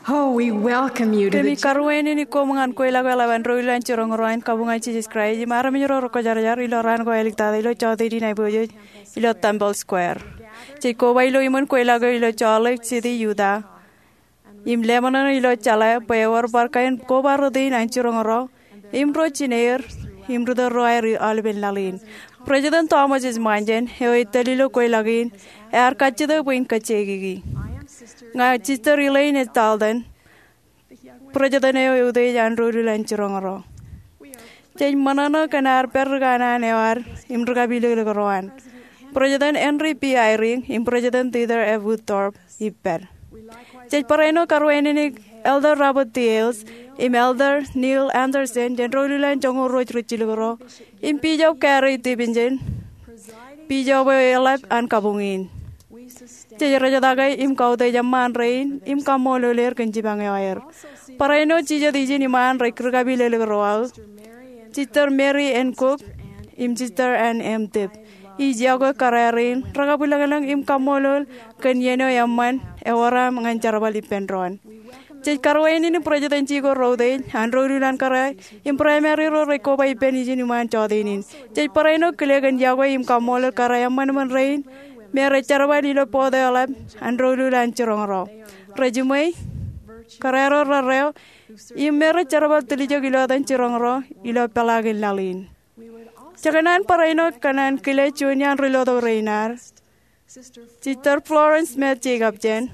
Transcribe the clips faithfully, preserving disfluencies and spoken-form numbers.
Oh, we welcome you to the Kōmij karuwainene koṃ ñan kweilọk eo eḷap an ro ilowaan jiroñ ro an kabuñ an Jisōs Kraist im armej ro rekwōjarjar ilo raan ko āliktata ilo jọteen in aiboojoj ilo Temple Square. Jej koba ilo iṃōn kweilọk eo ilo Salt Lake City, Utah, im leṃōṇōṇō ilo jeḷā bwe ewōr bar kain koba rot in an jiroñ ro im ro jineer im ri-tōl ro aer aolepen laḷ in. President Thomas S. Monson, eo ej tōl ilo kweilọk in, ear kajjitōk bwe in kajjikiki. Ña Sister Elaine S. Dalton, president eo eutiej an ro ilul an jiroñ ro. Jej ṃōṇōṇō kōn ad pād ri kanaan eo ad im ri kapilōklōk ro an. President Henry B. Eyring im President Dieter F. Uchtdorf ippaṃ. Jej barāinwōt karuwainene Elder Robert D. Hales im Elder Neil Andersen jān ro ilul an joñoul ruo ri jilkinro im Bishop Gary Stevenson, Bishop eo eḷap an kabuñ in. Jej rejtake im kautiej eṃṃaan rein im kaṃṃoolol er kōn jipañ eo aer. Barāinwōt jijet ijin iṃaan rej ri kapilōklōk ro aō, Sister Mary N. Cook im Sister Ann M. Tipp, ij yokwe kōrā rein rekabwilōñlōñ im kaṃṃoolol kōn iien eo eṃṃan ewōr aṃ ñan jerbal ippān doon. Jej karuwainene presidency ko reutiej an ro ilul an kōrā im primary ro rej koba ippān ijin iṃaan jọteen in. Jej barāinwōt kile kōn yokwe im kaṃṃoolol kōrā eṃṃanṃan rein me rej jerbal ilo board eo eḷap an ro ilul an jiroñ ro. Rej jiṃwe kōrā ro rerreo im me rej jerbal tiljek ilo etan jiroñ ro ilo peḷaakin laḷ in. Jekōṇaan barāinwōt kōṇaan kile juon iaan ri lotok rein ad, Sister Florence Smith Jacobson,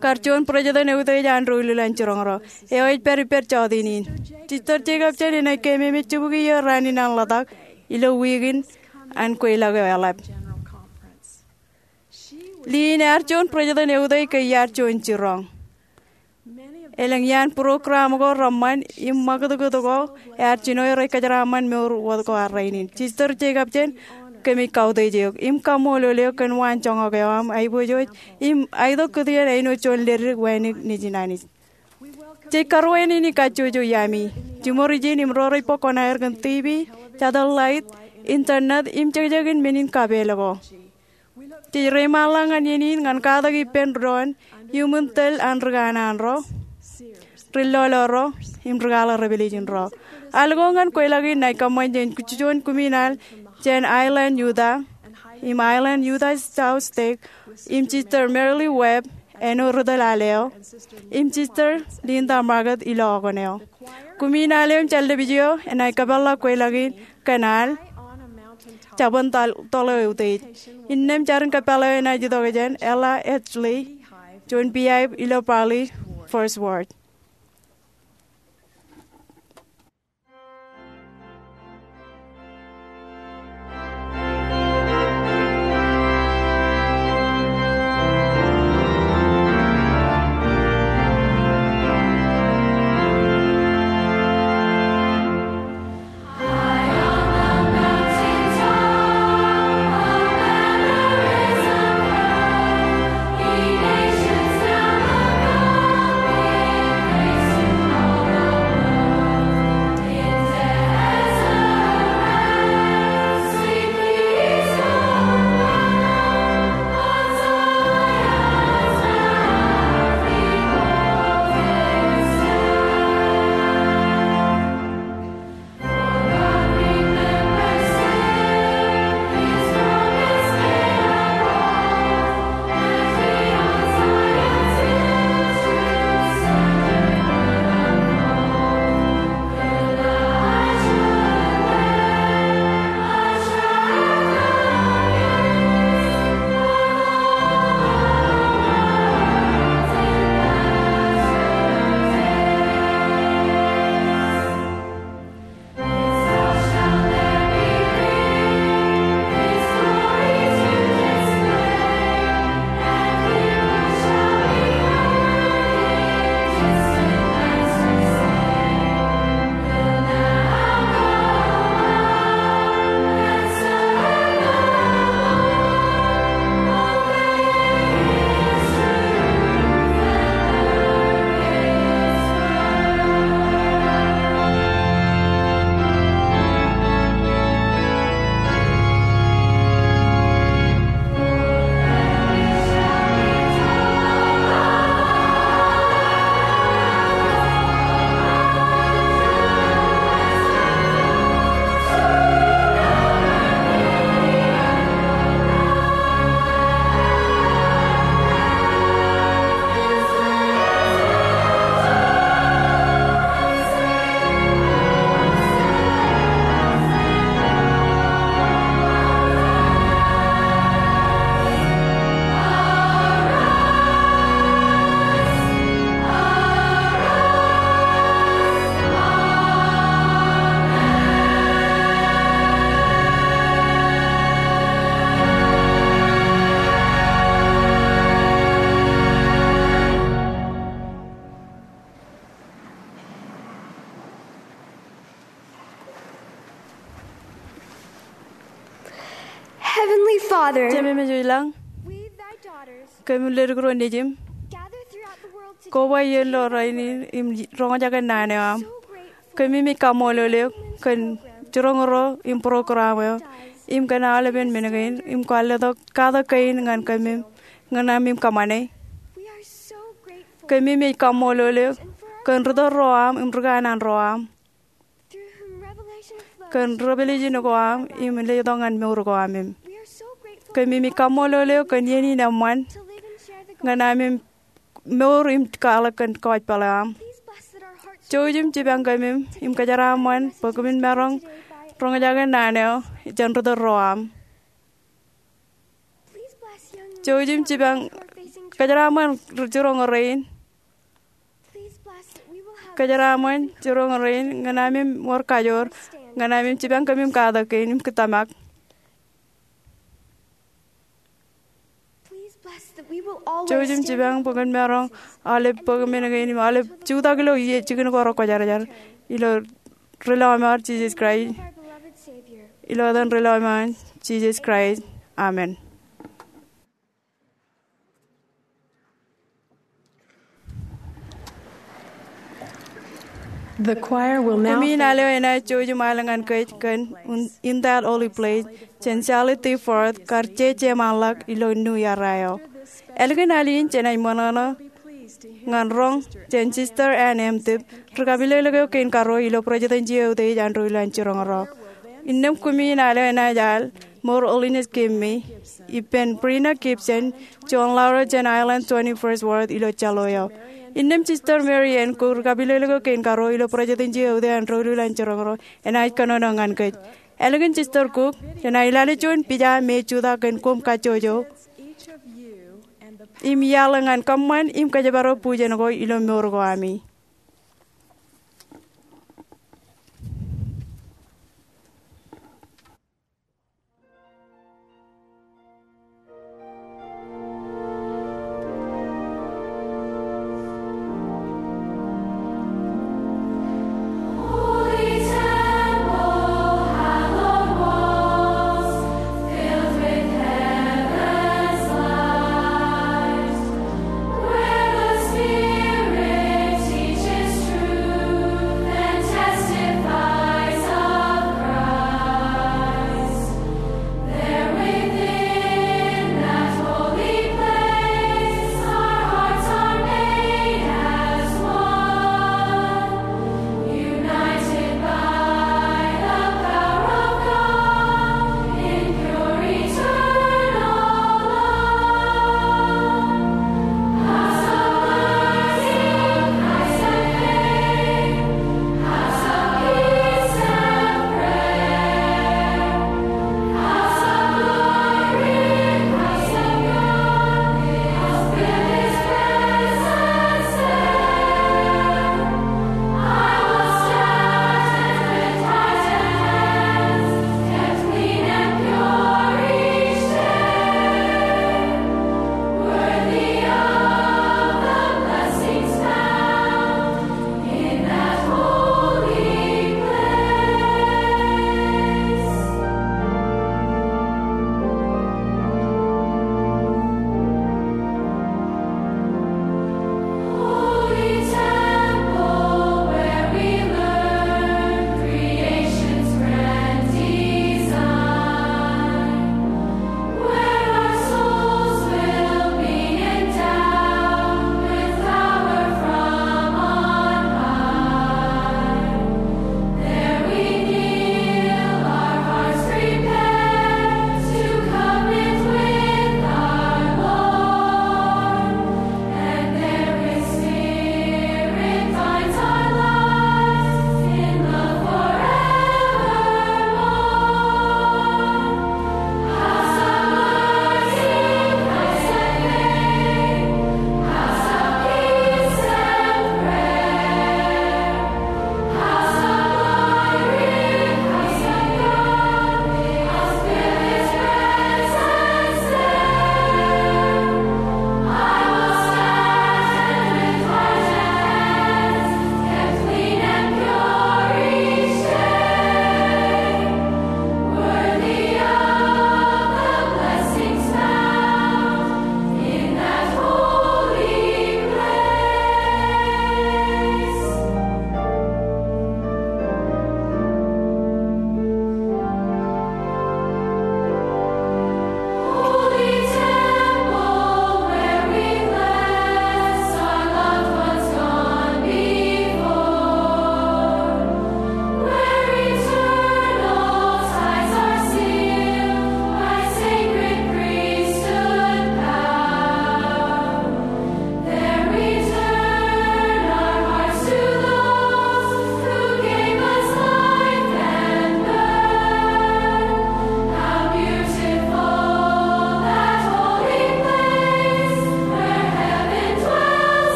kar juon president eutiej an ro ilul an jiroñ ro, eo ej pād ippād jọteen in. Sister Jacobson enaaj keememej jibukwi iiō raan in an ḷotak ilo wiik in an kweilọk eo eḷap. Liin ear juon president eutiej ke iar juon jiroñ. Elōñ iaan program ko reṃṃan im ṃakūtkūt ko ear jino rej kōjeraaṃṃan mour wōt ko an rainin. Sister Jacobson, kōmij kautiej eok im kaṃṃoolol eok kōn waan joñak eo aṃ aiboojoj im aetok kūtien āinwōt juon ledik wānōk nejin Anij. Jej karuwainene kajjojo iaami, jiṃor ijin im ro rej bōk kuṇaer kōn TV, satellite, internet im jekjekin men in kapeel ko. Jej reiṃaanḷọk ñan iien in ñan katak ippān doon iuṃwin tōl an ri kanaan ro, ri lolo ro, im ri kwaḷọk revelation ro. Al ko ñan kweilọk in enaaj kōṃṃan jān juon kumiṇaal jān Island Utah im Island Utah South Stake im Sister Merle Webb āinwōt ri tōl al eo im Sister Linda Marget ilo okōn eo. Kumiṇaal eo im jallōpij eo enaaj kōpeḷḷọk kweilọk in kōn al jabōn toḷ eo eutiej. Innām jarin kōpeḷḷọk eo enaaj itok jān Ella Edgley, juon piaip ilo Parley First Ward. Father, Jemem ej ilo lañ, we, thy daughters, kōm ledik ro nejiṃ, gather throughout the world today koba iien ilo rainin im roñjake naan eo aṃ. So grateful Kōmij kaṃṃoolol eok kōn jiroñ ro im program eo im kōn aolepen men kein im kwaar letok katak kein ñan kōmij ñan ami kōṃṃane. We are so grateful Kōmij kaṃṃoolol eok kōn ri-tōl ro aṃ im ri-kanaan ro aṃ. Through whom revelation flows kōn revelation ko aṃ im letok ñan mour ko aṃ im. We are so grateful Kōmij kaṃṃoolol eok kōn iien in eṃṃan to live and share the gospel ñan ami mour im kwaḷọk kōn kōjpaḷ eo aṃ. Please bless that our hearts Jouj im jipañ kōmij im kōjeraaṃṃan bwe kōmin maroñ roñjake naan eo jān ri-tōl ro aṃ. Please bless young Jouj im men jipañ who are facing kōjeraaṃṃan jiroñ rein. Please bless that we will have Kōjeraaṃṃan jiroñ rein ñan ami wōr kajoor ñan ami jipañ kōmij katak kein im kōtōmak. Please bless that we will always Jouj im stand jipañ bwe kōn maroñ aolep bōk men kein im aolep jutak ilo iien jikin ko rekwōjarjar ilo ri-lọmọọr Jisōs Kraist. Ilo etan ri-lọmọọr Jisōs Kraist. Amen. The choir will now Kumi in al eo enaaj jouj im al ñan kōj kōn In That Holy Place jān Charlotte Ford kar jeje ṃaanḷọk ilo New Year eo. Ālikin al in jenaaj ṃōṇōṇō ñan roñ jān Sister Ann M. Tipp, ri-kapilōklōk eo kein karuo ilo Presidential Youth Ej an Doulul an Jiroñ ro. Innām kumi in al eo enaaj al More Holiness Give Me, ippān Brina Gibson, juon laḷ ro jān Ireland twenty-first Ward ilo Jalo eo. Innām Sister Mary Ann Cook, ri-kapilōklōk eo kein karuo ilo Presidential Youth Ej an Doulul an Jiroñ ro, enaaj kōnono ñan kōj. Ālikin Sister Cook, jenaaj lale juon pija me ej jutak kōn koṃ kajjojo im iaḷ ñan kōṃṃan im kōjparok bujen ko ilo mour ko ami.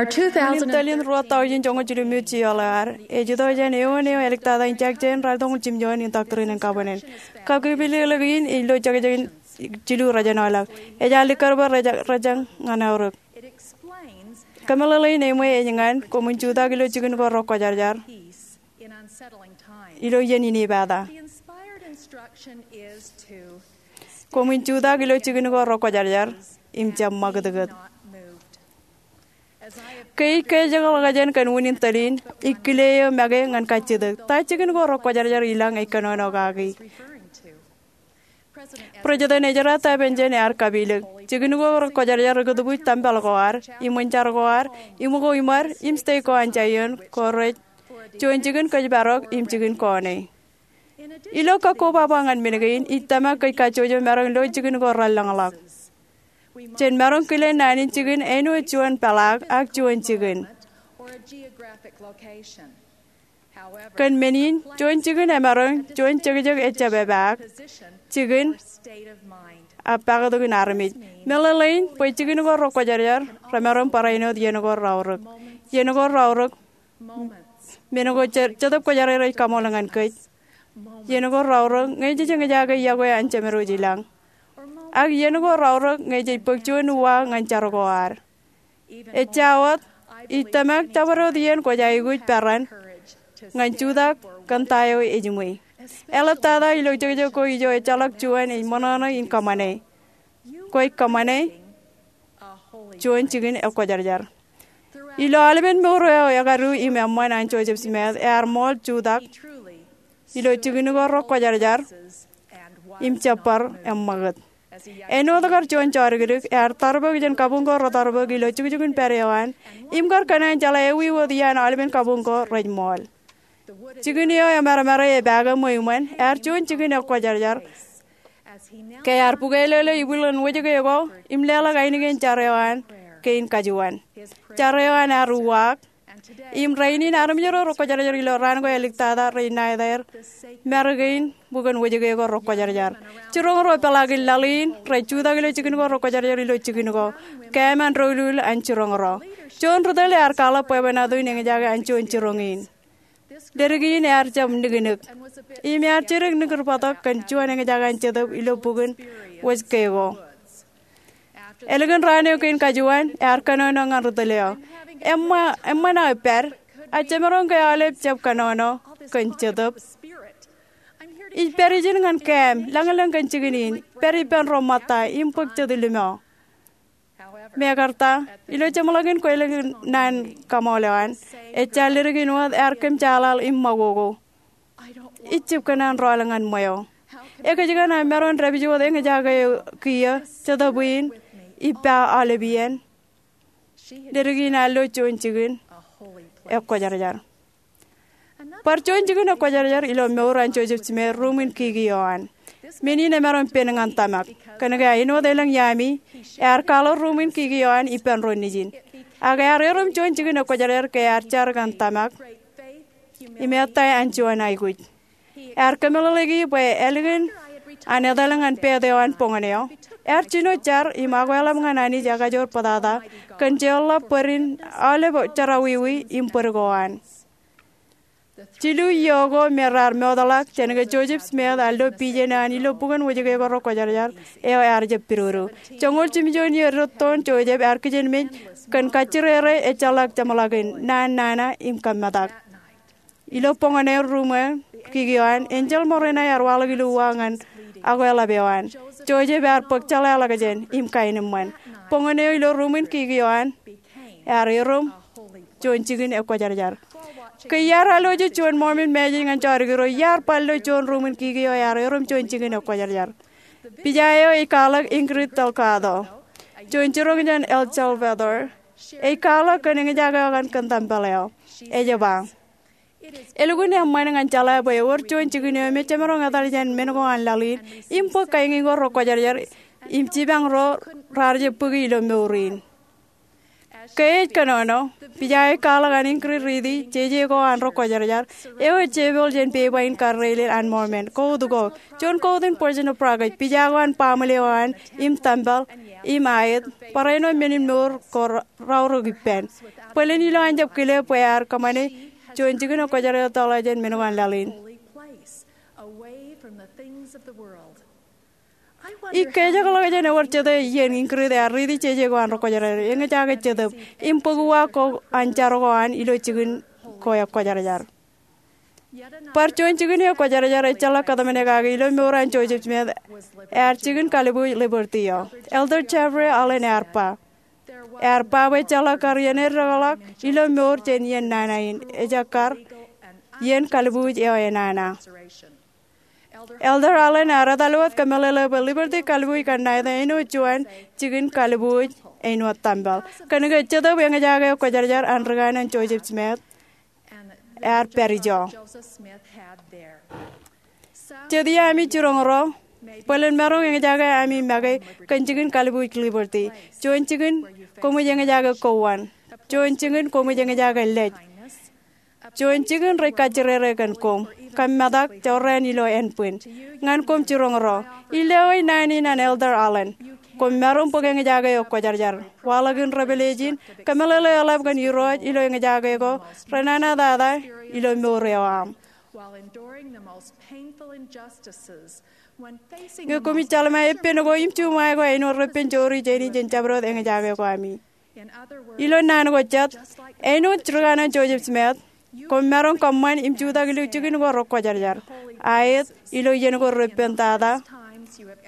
Tōl in ruo tọujin joñoul jilu im eoon, ej itok jān eoon eo āliktata in jekjek in raar toñoul jimjuon in Doctrine and Covenants. Kakipilōklōk in ej lo jekjekin jilu rōjenolọk. Ej alikkar bwe rej, rej ñan aorōk. Kōmeḷeḷein eṃṃan ej ñan koṃwin jutak ilo jikin ko rekwōjarjar ilo iien inepata. Koṃwin jutak ilo jikin ko rekwōjarjar im jab ṃakūtkūt. Ke ij kōjeḷā kōn unin tōl in, ij kile eō make ñan kajjitōk. Ta jikin ko rekwōjarjar i lañ ej kōnono kaki? President Ezra Taft Benson ear kapilōk, jikin ko rekwōjarjar ri kūtbuuj tempel ko ad, iṃōn jar ko ad, iṃōko iṃad, im stek ko an Zion, ko rej juon jikin kōjparok im jikin kōṇe. Ilo kakkobaba ñan men kein, ij tōmak kōj kajjojo maroñ lo jikin ko relōñḷọk. Jen maroñ kile naan in jikin āinwōt juon peḷaak ak juon jikin. Kōn men in, juon jikin emaroñ juon jekjek ejjab epaak, jikin ak paktok in armej. Meḷeḷein bwe jikin ko rekwōjarjar remaroñ barāinwōt iien ko reaorōk. Iien ko reaorōk, men ko Jetōb Kwōjarjar ej kaṃool ñan kōj. Iien ko reaorōk ñe jej eñjake yokwe an Jemedwōj i lañ. Ak iien ko reaorōk ñe jej bōk juon uwaak ñan jar ko ad. Ejja wōt, ij tōmak jabdewōt iien kwōj aikuj peran ñan jutak kōn ta eo ejiṃwe. Eḷaptata ilo jekjek ko ijo ejjeḷọk juon ej ṃōṇōṇō in kōṃṃane. Kwōj kōṃṃane juon jikin ekwōjarjar. Ilo aolepen mour eo ekadu im eṃṃan an Joseph Smith, ear ṃool jutak ilo jikin ko rekwōjarjar im jab bar eṃṃakūt. Āinwōt kar juon jodikdik, ear tarbōk jān kabuñ ko retarbōk ilo jukjukun pād eo an, im kar kōṇaan jeḷā ewi wōt iaan aolepen kabuñ ko rej ṃool. Jikin eo emarmare epaake ṃweo iṃōn, ear juon jikin ekwōjarjar. Ke ear bukwelōlō ibwiljin wōjke ko im leḷọk ainikien jar eo an kein kajuon. Jar eo an ear uwaak. Im rainin armej ro rekwōjarjar ilo raan ko āliktata rej ṇa etaer mar kein bukwōn wōjke ko rekwōjarjar. Jiroñ ro peḷaakin laḷ in rej jutak ilo jikin ko rekwōjarjar ilo jikin ko. Kōm an doulul an jiroñ ro. Juon ri tōl ear kwaḷọk bwebwenato in eñjake an juon jiroñ in. Ledik in ear jab niknik. Im ear jidik nikūtbōtok kōn juon eñjake an Jetōb ilo bukwōn wōjke ko. Ālikin raan eo kein kajuon, ear kōnono ñan ri tōl eo. Eṃṃan, eṃṃan aō pād, ak jemaroñ ke aolep jab kōnono kōn Jetōb? Ij pād ijin ñan kōm, lañlōñ kōn jikin in, pād ippān ro ṃōtta, im bōk jet limo. Mekarta, ilo jeṃḷọkin kwōlōkin naan kaṃool eo an, ejja ledik in wōt ear kōmjaaḷaḷ im ṃakoko. Ij jab kōṇaan rọọl ñan ṃweo. Ekōjkan aō maroñ dāpij wōt eñjake kiiō, Jetōb in ippa aolep iien? Ledik in ear lo juon jikin ekwōjarjar. Bar juon jikin ekwōjarjar ilo mour an Joseph Smith, ruuṃwin kiki eo an. Men in emaroñ pen ñan tōmak. Kōnke āinwōt elōñ iaami, ear kwaḷọk ruuṃwin kiki eo an ippān ro nejin. Ak ear erom juon jikin ekwōjarjar ke ear jar kōn tōmak im ettā an juon aikuj. Ear kōmeḷeḷeiki bwe ālikin an etal ñan pād eo an boñōn eo, ear jino jar im akweḷap ñan Anij ekajoor bōtata kōn jeorḷọk bōd in aolep jerọwiwi im bōd ko an. Jilu iiō ko me raar mootḷọk jān ke Joseph Smith ear lo pijen eo an ilo bukwōn wōjke ko rekwōjarjar eo ear jab pidodo. Joñoul jimjuon iiō edittoon Joseph ear kijenmej kōn kajjirere ejjeḷọk jeṃḷọkin naan nana im kōmmetak. Ilo boñōn eo ruuṃwin kiki eo an, enjeḷ Moroni ear waḷọk ilo uwaak ñan akweḷap eo an. Joseph ear bōk jeḷāḷọkjeṇ im kaenōṃṃan. Boñōn eo ilo ruuṃwin kiki eo an ear erom juon jikin ekwōjarjar. Ke iar alwōj juon Mormon message ñan jodikdik ro, iar bar lo juon ruuṃwin kiki eo ear erom juon jikin ekwōjarjar. Pija eo ej kwaḷọk Ingrid Delgado, juon jiroñ jān El Salvador. Ej kwaḷọk kōn eñjake eo an kōn tempel eo. Ej ba, elukkuun eṃṃan ñan jeḷā bwe ewōr juon jikin eo me jemaroñ etal jān men ko an laḷ in im bōk kain ko rekwōjarjar im jipañ ro raar jab bōki ilo mour in. Ke ej kōnono, pija eo ej kwaḷọk an inkūri riiti jeje ko an ro kwōjarjar eo ej jepel jān pepa in karreilel an Mormon. Kout ko, juon kout in Boys' Tour ej pija ko an baaṃle eo an im tempel im aet, barāinwōt men in mour ko raorōk ippān. Bōlen ilo an jab kile bwe ear kōṃṃane juon jikin eo kwōjarjar tōḷā jān men ko an laḷ in. Ikkejeḷọk jān ewōr jete iien inkūri ear riiti jeje ko an ro kwōjarjar, eñjake jetōb im bōk uwaak ko an jar ko an ilo jikin ko eo kwōjarjar. Bar juon jikin eo kwōjarjar ejjeḷọk kōtmāne kake ilo mour an Joseph Smith. Ear jikin kalbuuj Liberty eo. Elder Jeffrey Holland ear ba, ear ba bwe ejjeḷọk kar iien eddoḷọk ilo mour jān iien nana in, ejjeḷọk kar iien kalbuuj eo enana. Elder Holland ear etal wōt kōmeḷeḷe bwe Liberty kalbuuj kanniōk āinwōt juon jikin kalbuuj āinwōt tempel. Kōnke jetōb eñjake eo kwōjarjar an ri kanaan Joseph Smith ear pād ijo. Jet iiō ami jiroñ ro, bōlen maroñ eñjake ami make kōn jikin kalbuuj Liberty. Juon jikin koṃij eñjake kowaan. Juon jikin koṃij eñjake lej. Juon jikin rej kajjirere kōn koṃ. Kōmmetak jorrāān ilo ānbwin. Ñan koṃ jiroñ ro, ilowaan naan in an Elder Holland. Koṃ maroñ bōk eñjake eo kwōjarjar. Waḷọk in revelation, kōmeḷeḷe eḷap kōn Irooj ilo eñjake ko renana tata ilo mour eo aṃ. Ñe koṃij jeḷā epen ko im juṃae ko āinwōt repen joori jāni jān jabdewōt eñjake ko ami. Ilo naan ko jet, āinwōt ri kanaan Joseph Smith, koṃ maroñ kōṃṃan im jutak ilo jikin ko ro kwōjarjar, aet ilo iien ko repen tata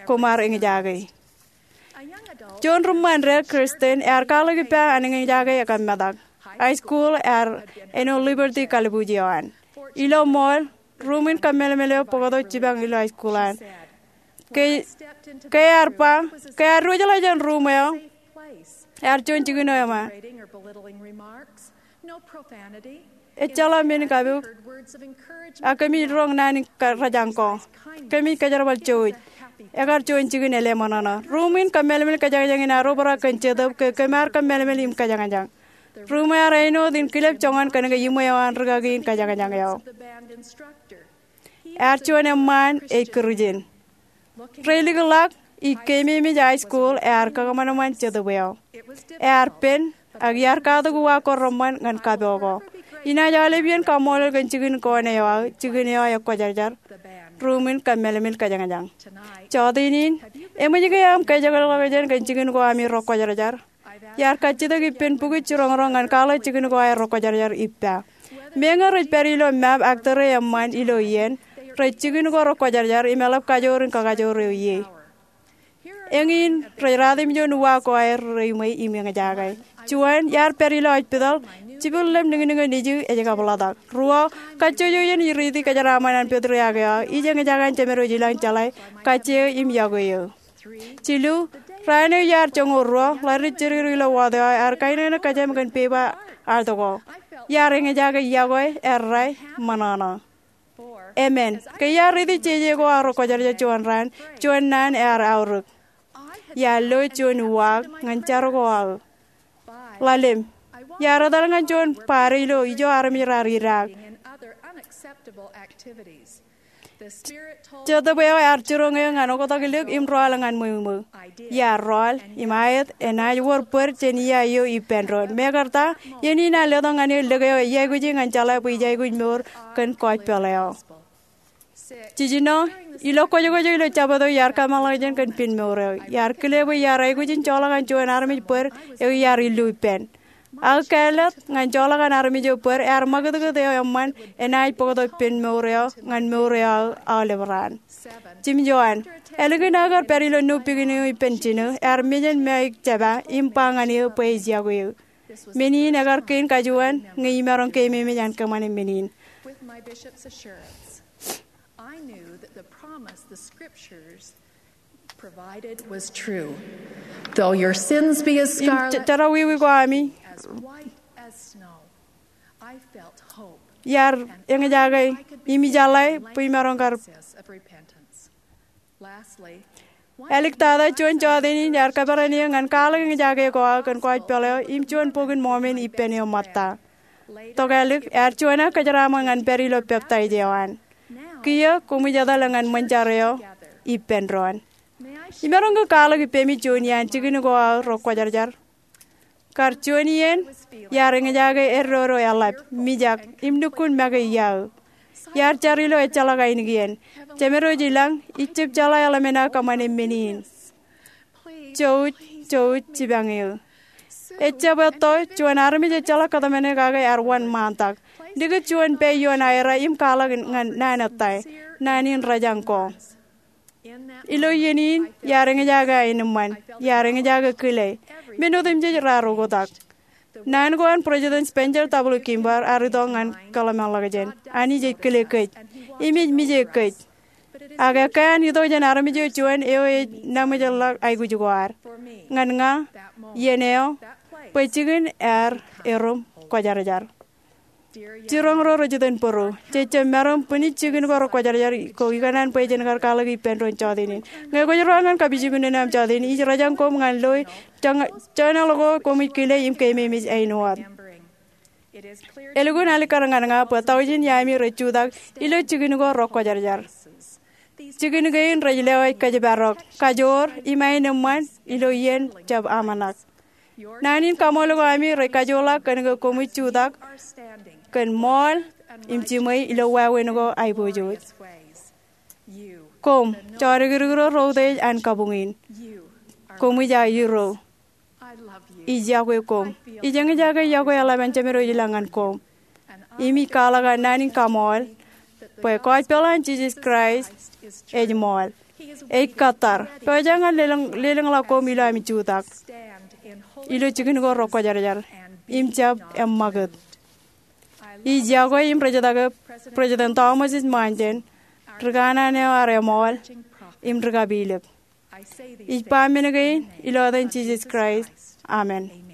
koṃ ar eñjake. Juon ri ṃṃan dān Kristen ear kwaḷọk ippa an eñjake ekōmmetak. High school ear āinwōt Liberty kalbuuj eo an. Ilo mall, ruuṃ in kōmmeḷeḷe eo bōktok jipañ ilo high school an. Ke, ke ear ba, ke ear diwōjḷọk jān ruuṃ eo, ear juon jikin eo ema. Ejjeḷọk men kabuik, ak kōmij roñ naan in kōjañ ko. Kōmij kōjerbal jouj. Ekar juon jikin elōñ ṃōṇōṇō. Ruuṃ in kōmmeḷeḷe kōjañjañ in ear obrak kōn jetōb ke kōm ar kōmmeḷeḷe im kōjañjañ. Ruuṃ eo ear āinwōt in kilep joñan kōnke iṃwe eo an rikaki in kōjañjañ eo. Ear juon eṃṃaan ej Kūrjin. Reilikḷọk, ij keememej high school ear kakōṃanṃan jetōb eo. Ear pen, ak iar katak uwaak ko reṃṃan ñan kapo ko. Inaaj aolep iien kaṃṃoolol kōn jikin ko ṇe eo aō, jikin eo ekwōjarjar, ruuṃ in kōmmeḷeḷe kōjañjañ. Jọteen in, eṃōj ke aṃ kōjeḷāḷọkjeṇ kōn jikin ko ami ro kwōjarjar? Iar kajjitōk ippān bukwi jiroñ ro ñan kwaḷọk jikin ko aer ro kwōjarjar ippa. Meñe rej pād ilo map ak tōre eṃṃan ilo iien, rej jikin ko ro kwōjarjar im eḷap kajoor in kakajoor eo ie. Eñin rej ratimjuon uwaak ko aer reiṃwe im eñjake. Juon, iar pād ilo hospital, jibwilōṃ niñniñ eo nejū ej kabḷatak. Ruo, kajjojo iien ij riiti kōjeraaṃṃan an patriarch eo aō, ij eñjake an jemed wōj ilañ jeḷā kajjeo im yokwe eō. Jilu, raan eo iar joñoul ruo, ḷaddik jidik ilo ward eo aō, ear kainōknōk kōjām kōn pepa artōk ko. Iar eñjake yokwe, errā, ṃōṇōṇō. Emān, ke iar riiti jeje ko aō ro kwōjarjar juon raan, juon naan ear aorōk. Iar lo juon uwaak ñan jar ko aō. Ḷalem, iar etal ñan juon party ilo ijo armej raar idaak. Jetōb eo ear jiroñ eō ñan oktak lik im rọọl ñan ṃweo ṃweo. Iar rọọl, im aet, enaaj wōr bōd jān iiō eo ippān doon. Mekarta, iien in an letok ñan eō lik eo ij aikuji ñan jeḷā bwe ij aikuj mour kōn gospel eo. Jiljino, ilo kwōjkwōj eo ilo Jabōt eo iar kōmeḷeḷein kōn pen mour eo. Iar kile bwe iar aikuj in joḷọk an juon armej bōd eo iar illu ippān. Ak kāālōt ñan joḷọk an armej eo bōd ear ṃakūtkūt eo eṃṃan enaaj bōktok pen mour eo ñan mour eo aō aolep raan. Jimjuon, ālikin aō kar pād ilo nu pikin eo ippān jino, ear mejān Mike Jabba im ba ñan eō bwe ej yokwe eō. Men in ekar kein kajuon ñe imaroñ keememej an kōṃṃane men in. With my bishop's assurance, I knew that the promise the scriptures provided was true. Though your sins be as scarlet, im jerawiwi ko ami as white as snow, I felt hope. Iar eñjake im ijeḷā bwe imaroñ kar. Lastly, Āliktata juon jọteen in ear kōperan eō ñan kwaḷọk eñjake ko aō kōn kwōj peḷ eo im juon Bok in Mormon ippān eo ṃōtta. Tokālik ear juon aō kōjeraaṃṃan ñan pād ilo peptaij eo an. Kiiō koṃij etale ñan ṃōn jar eo ippān doon. Imaroñ ke kwaḷọk ippemi juon iaan jikin ko aō ro kwōjarjar? Kar juon iien, iar eñjake eddodo eḷap, mijak, im lukkuun make iaō. Iar jar ilo ejjeḷọk ainikien. Jemedwōj ilañ, ij jab jeḷā eḷmen aō kōṃṃane men in. Jouj, jouj jipañ eō. Ejjab etto juon armej ejjeḷọk kōtmāne kake ear wōnṃaantak. Likūt juon pā ioon aera im kwaḷọk ñan naan ettā, naan in rejañ ko. Ilo iien in, iar eñjake aenōṃṃan, iar eñjake kile. Men otemjej raar oktak. Naan ko an President Spencer W. Kimball ear itok ñan kōḷmānḷọkjeṇ. Anij ej kile kōj. Im ej mije kōj. Ak ekkā an itok jān armej eo juon eo ej naṃōjḷọk aikuj ko ad. Ñan ña, iien eo, bwe jikin ear erom kwōjarjar. Jiroñ ro rej itōn bōro, jej jab maroñ bwinij jikin ko ro kwōjarjar ko ikōṇaan bwe jen kar kwaḷọk ippān doon jọteen in. Ñe kwōj ruwaak ñan kapijuknen eo aṃ jọteen in, ij rejañ koṃ ñan lo joñan, joñan ḷọk ko koṃij kile im keememej āinwōt. Elukkuun alikkar ñan ña bwe tọujin iaami rej jutak ilo jikin ko ro kwōjarjar. Jikin kein rej lewōj kōjparok, kajoor, im aenōṃṃan ilo iien jab aṃōṇak. Naan in kaṃool ko ami rej kajoorḷọk kōn ke koṃij jutak kōn ṃool im jiṃwe ilo wāween ko aiboojoj. Koṃ, jodikdik ro ro utiej an kabuñ in. Koṃij aō hero. Ij yokwe koṃ. Ij eñjake yokwe eḷap an Jemedwōj ilañ ñan koṃ. Im ij kwaḷọk an naan in kaṃool bwe gospel an Jisōs Kraist ej ṃool. Ej kōttar. Pojak ñan lelōñ, lelōñḷọk koṃ ilo ami jutak ilo jikin ko ro kwōjarjar im jab eṃṃakūt. Ij yokwe im rej etake President Thomas S. Monson, ri kanaan eo ear eṃool, im ri kapilōk. Ij ba men kein ilo etan Jisōs Kraist. Amen.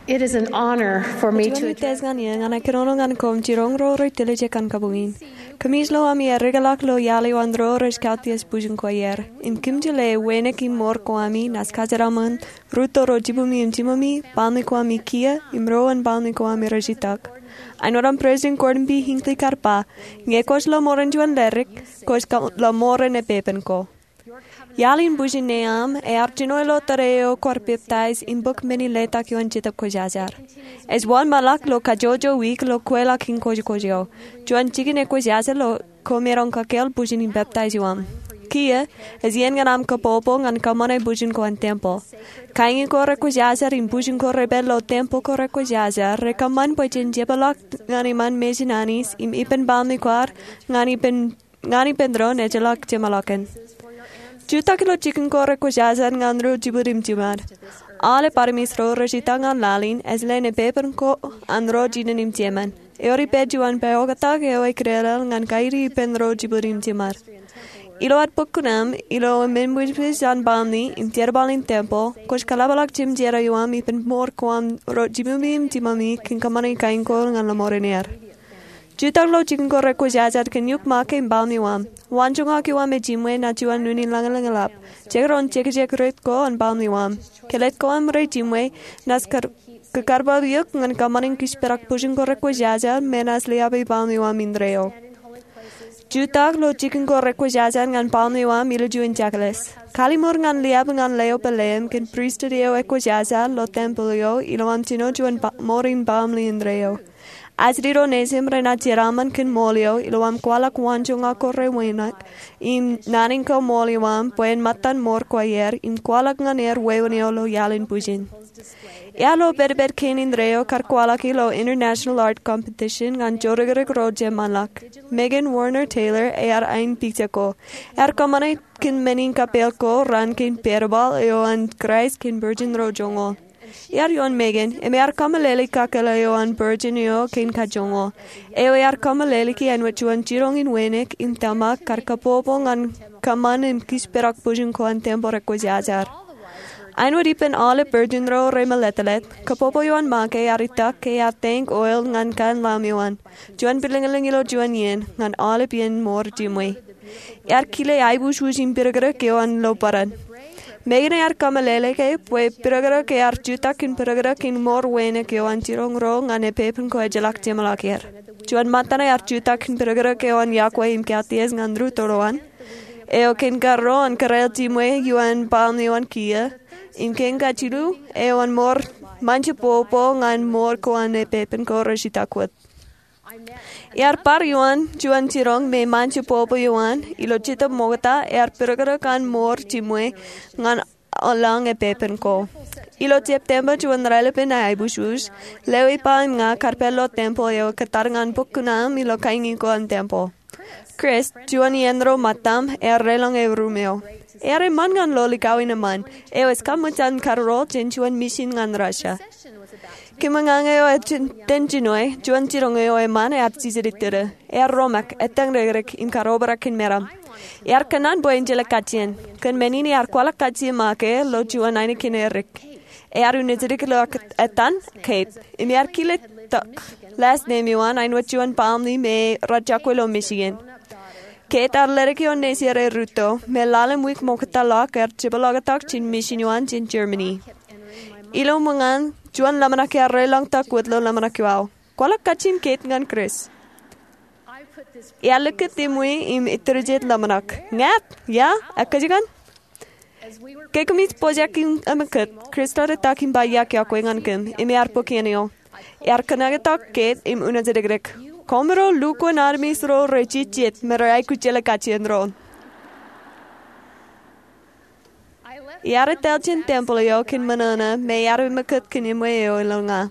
It is an honor for me to address. Ej wōnṃaanḷọk ñan eō ñan aō kōnono ñan koṃ jiroñ ro rej tōl ijin kabuñ in. Kōmij lo ami eddekḷọk ilo iaḷ eo an ro rej kautiej bwijin ko aer im kōmij lewōj wānōk im mour ko ami naaj kajeraṃṃan rūtto ro jibumi im jimumi, baaṃle ko ami kiiō, im ro an baaṃle ko ami rej itak. Āinwōt aṃ President Gordon B. Hinckley kar ba, ñe kwōj lo mour in juon ledik, kwōj lo mour in epepen ko. Iaḷ in bwijin ṇe aṃ ear jino ilo tōre eo kwaar peptaij im bōk men in letak ioon Jetōb Kwōjarjar. Ej wōnṃaanḷọk ilo kajjojo wiik ilo kweilọk in kōjkōj eo. Juon jikin ekwōjarjar ilo koṃeroñ kakeel bwijin in peptaij eo aṃ. Kiiō, ej iien ñan aṃ kabbokbok ñan kōṃṃane bwijin ko an tempeḷ. Kañin ko rekwōjarjar im bwijin ko repād ilo tempeḷ ko rekwōjarjar rekōṃṃan bwe jen jebaḷọk ñan iṃaan Mejān Anij im ippān baaṃle ko ad ñan ippān ñan ippān doon ejjeḷọk jeṃḷọkin. Jutak ilo jikin ko rekwōjarjar ñan ro jibwid im jiṃad. Aolep armej ro rej itak ñan laḷ in ej leen epepen ko an ro jinen im jemān. Ewōr ippād juon pād oktak eo ekidedel ñan kaiti ippān ro jibwid im jiṃad. Ilo ad bōk kuṇaṃ ilo men ṃwijpij an baaṃle im jerbal in tempeḷ, kwōj kaḷapḷọk jemjerā eo aṃ ippān mour ko an ro jibumi im jimumi kōn kōṃṃane kain ko ñan ḷōṃaro in er. Jutak ilo jikin ko rekwōjarjar kōn iukṃake im baaṃle eo aṃ. Waanjoñak eo aṃ ej jimwe naaj juon unin lañlōñḷap. Jekdọọn jekjek rot ko an baaṃle eo aṃ. Ke lōñ ko aṃ rej jimwe, naaj kōkarbab eok ñan kōṃṃane kōjperak bwijin ko rekwōjarjar me naaj liabe baaṃle eo aṃ indeeo. Jutak ilo jikin ko rekwōjarjar ñan baaṃle eo aṃ ilo juon jakles. Kalimour ñan liab ñan leo pāleem kōn pristut eo ekwōjarjar ilo tempeḷ eo ilo aṃ jino juon mour in baaṃle indeeo. Ajri ro nejim renaaj jeraṃṃan kōn ṃool eo ilo aṃ kwaḷọk waanjoñak ko rewōnak im naan in kaṃṃoolol eo aṃ bwe en ṃōttan mour ko aer im kwaḷọk ñan er wāween eo ilo iaḷ in bwijin. Iar lo pedped kein indeeo kar kwaḷọk ilo International Art Competition ñan jodikdik ro jeṃṃanḷọk. Megan Warner Taylor ear ain pija ko. Ear kōṃṃane kōn men in kapeel ko raan kein pedped eo an Kraist kōn bwijin ro joñoul. Iar ioon Megan, im ear kōmeḷeḷe kakōḷḷe eo an bwijin eo kein kajoñoul. Eo ear kōmeḷeḷeiki āinwōt juon jiroñ in wānōk im tōmak kar kabbokbok ñan kōṃṃan im kōjperak bwijin ko an tempeḷ rekwōjarjar. Āinwōt ippān aolep bwijin ro remōletelet, kabbokbok eo an make ear itak ke ear tank oil ñan kain lam eo an. Juon pilinglōñ ilo juon iien, ñan aolep iien mour jimwe. Ear kile aiboojoj im pidikdik eo an ilo bōran. Megan ear kōmeḷeḷe ke bwe pidikdik ear jutak kōn pidikdik in mour wānōk eo an jiroñ ro ñan epepen ko ejjeḷọk jeṃḷọk er. Juon ṃōttan ear jutak kōn pidikdik eo an iọkwe im kautiej ñan rūtto ro an. Eo kein karro an kōrā jimwe ioon baaṃle eo an kiiō. Im kein kajilu eo an mour ṃōjin bōkbōk ñan mour ko an epepen ko rej itak wōt. Iar bar ioon juon jiroñ me ṃōjin bōkbōk eo an ilo Jetōb Ṃokta ear pidikdik an mour jimwe ñan eḷḷāḷọk epepen ko. Ilo September juon raelepin aiboojoj, lewōj ba im ña kar pād ilo tempeḷ eo kōttar ñan bōk kuṇaṃ ilo kañin ko an tempeḷ. Chris, juon iien ro ṃōttaṃ, ear deḷọñ eruṃ eo. Ear eṃṃan ñan lo likao in eṃṃan. Eo ej kaṃōj an karuroḷ jān juon misin ñan Russia. Kōmwōj ñan eo ej iten jinoe, juon jiroñ eo eṃṃan ear jijet iturū. Ear romak, etan dikdik, im kar obrak kōn meram. Ear kōnnaan bwe en jeḷā kajjien. Kōn men in ear kwaḷọk kajjien make ilo juon ainikien edik. Ear uñjitōk ilo etan, Kate. Im ear kile tok last name eo an āinwōt juon baaṃle me rej jokwe ilo Michigan. Kate ear ledik ioon nejier erūtto, me lale im wiik ṃoktaḷọk ear jepḷaaktok jān misin eo an jān Germany. Ilo ṃōñā in, juon ḷōmṇak ear deḷọñtok wōt ilo ḷōmṇak eo aō. Kwaḷọk kajjien Kate ñan Chris. Ear likūt iṃwi im iturjet ḷōmṇak. Ñāāt, ia, ekkā jikin. Ke kōmij pojak im emōkūt, Chris ear itak im ba iọkwe ñan kōm, im ear bōk iien eo. Ear kōṇaaktok Kate im uñjitōk, Koṃro lukkuun armej ro rej jijet me rej aikuj jeḷā kajjien doon. Iar etal jān tempeḷ eo kōn ṃōṇōṇō me iar emōkūt kōn iṃwe eo ilo ña.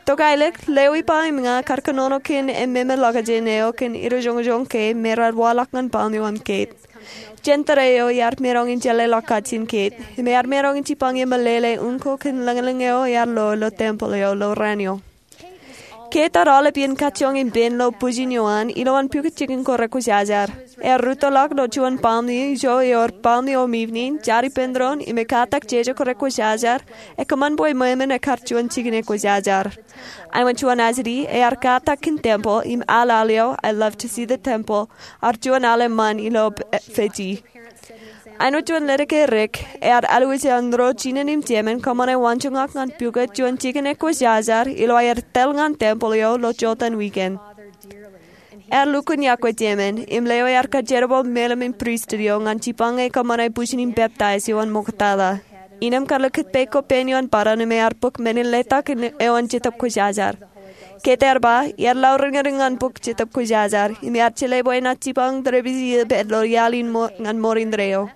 Tok aelōñ, lewōj ba im ña kar kōnono kōn emmeme ḷọkjeṇ eo kōn idijoñjoñ ke me raar waḷọk ñan baaṃle eo an Kate. Jān tōre eo iar maroñ in jeḷāḷọk kajjien Kate, im ear maroñ in jipañ ie meḷeḷe unin ko kōn lañlōñ eo ear lo ilo tempeḷ eo ilo raan eo. Ke etar aolep iien kajjoñ im pen ilo bwijin eo an, ilowaan pukot jikin ko rekwōjarjar, ear rūttoḷọk ilo juon palm ijo ewōr palm eo im evening, jar ippān doon, im ekkatak jeje ko rekwōjarjar, ekōṃṃan bwe ṃweo im ekar juon jikin ekwōjarjar. Āinwōt juon ajri, ear katak kōn tempel, im al al eo, I Love to See the Temple, ear juon al eṃṃan ilo Fiji. Āinwōt juon ledik eo rik, ear alwōj eṇ ro jinen im jemān kōṃṃane waanjoñak ñan pukot juon jikin ekwōjarjar ilo aer tōl ñan tempel eo ilo jota in wiken. Ear lukkuun yokwe jemān, im lewōj ear kajerbal meḷeḷe in pristut eo ñan jipañ e kōṃṃane bwijin in peptaij eo an ṃoktata. Innem kar likūt peiṃ ko pein ioon bōran im ear bōk men in letak eo an Jetōb Kwōjarjar. Kate ear ba, iar lọriññoñ ñan bok Jetōb Kwōjarjar, im iar jeḷā bwe enaaj jipañ tōre bwij iiō pād ilo iaḷ in ñan mour indeeo.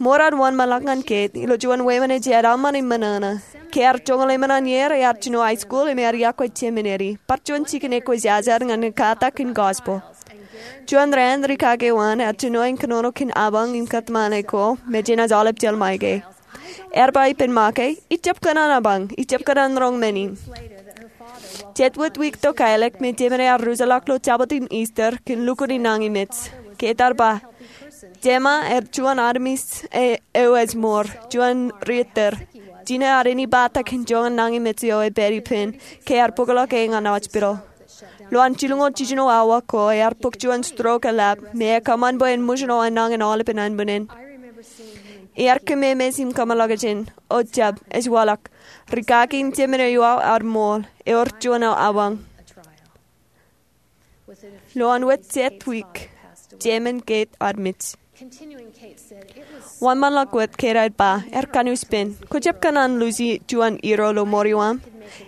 Mour ear wōnṃaanḷọk ñan Kate ilo juon wāween ej eḷaññe eṃṃan im ṃōṇōṇō. Ke ear joñoul emān an ier, ear jino high school im ear yokwe seminary, bar juon jikin ekwōjarjar ñan ekkatak in gospel. Juon raan, rikaki eo an ear jino im kōnono kōn abañ im kōtmāne ko me jenaaj aolep jeḷ ṃae ke. Ear ba ippān ṃae ke, ijjab kōṇaan abañ, ijjab kōṇaan roñ men in. Jet wōt wiik tok aelōñ me jemān ear rūttoḷọk ilo Jabōt in Easter kōn lukkuun nañinmej. Kate ear ba, jema ear juon armej eo ej mour, juon ri-ettōr. Jino ear āinwōt bōktok kōn joñan nañinmej eo ej pād ippān ke ear bōkḷọk e ñan hospital. Ilo an jilñoul jiljino awa ko ear bōk juon stroke eḷap me ekōṃṃan bwe en ṃōjṇọ enañin aolepen anbwinnin. Iar kōmemeej im kōmeḷọkjeṇ, o jab, ej waḷọk. Rikaki im jemān eo iuwau ear ṃool, ewōr juon abañ. Ilo an wōt jet wiik, jemān Kate ear mej. Wōnṃaanḷọk wōt, Kate ear ba, ear kanooj pen, kwōjab kōṇaan luuji juon hero ilo mour eo aṃ.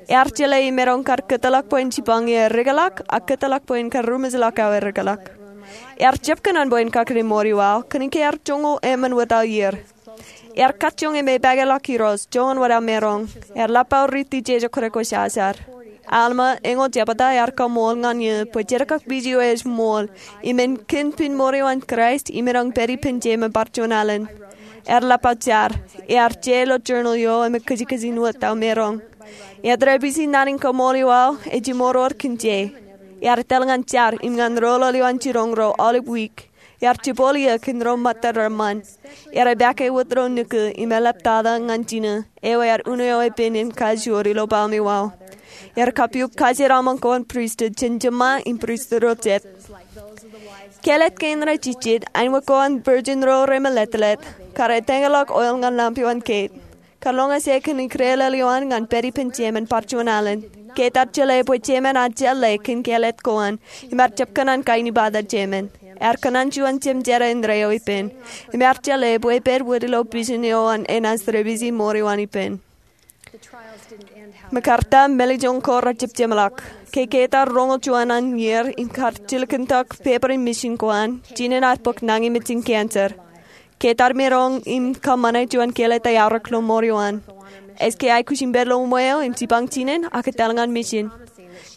Ear jeḷā imaroñ kar kōtḷọk bwe en jipañ eō erikḷọk, ak kōtḷọk bwe en kar ruṃwij ḷọk aō erikḷọk. Ear jab kōṇaan bwe en kakile mour eo aō, kōnke ear joñoul emān wōt aō ier. Ear kajjoñ im epakeḷọk irooj, joñan wōt aō maroñ. Ear lap aō riiti jeje ko rekwōjarjar. Alma, eñoul jebta, ear kaṃool ñan eō bwe jar kōn bwij eo ej ṃool, im en kōn pin mour eo an Kraist, imaroñ pād ippān jemān bar juon alen. Ear lap aō jar, ear je ilo journal eo im ekijkijin wōt aō maroñ. Ear tōre bwij in naan in kaṃool eo aō, ej imour eo kōn je. Ear etal ñan jar, im ñan roḷoḷ eo an jiroñ ro aolep wiik. Ear jibboḷ eō kōn ro ṃōttan reṃṃan. Ear epake wōt ilo nukū im eḷaptata ñan jino, eo ear uno eo epen in kajoor ilo palm eo aō. Ear kapiuk kajeraṃṃan ko an pristut jān jiṃṃa im pristut ro jet. Kāālōt kein rej jejjet, āinwōt ko an virgin ro remeletlet, kar etōñḷọk oil ñan lamp eo an Kate. Kar roñjake kōn ikdeḷeḷ eo an ñan pād ippān jemān bar juon alen. Kate ear jeḷā bwe jemān ear jeḷā kōn kāālōt ko an, im ear jab kōṇaan kain ibata jemān. Ear kōṇaan juon jemjerā indeeo ippān, im ear jeḷā bwe epād wōt ilo bwijin eo an enaaj tōre bwij in mour eo an ippān. Im kar ta, mālejjoñ ko rejjab jeṃḷọk. Ke Kate ear roñoul juon an ier im kar jilkintok peper in mission ko an, jinen ear bōk nañinmej in cancer. Kate ear maroñ im kōṃṃane juon kāālōt eaorōk ilo mour eo an. Ej ke aikuj in pād ilo ṃweo im jipañ jinen ak etal ñan mission.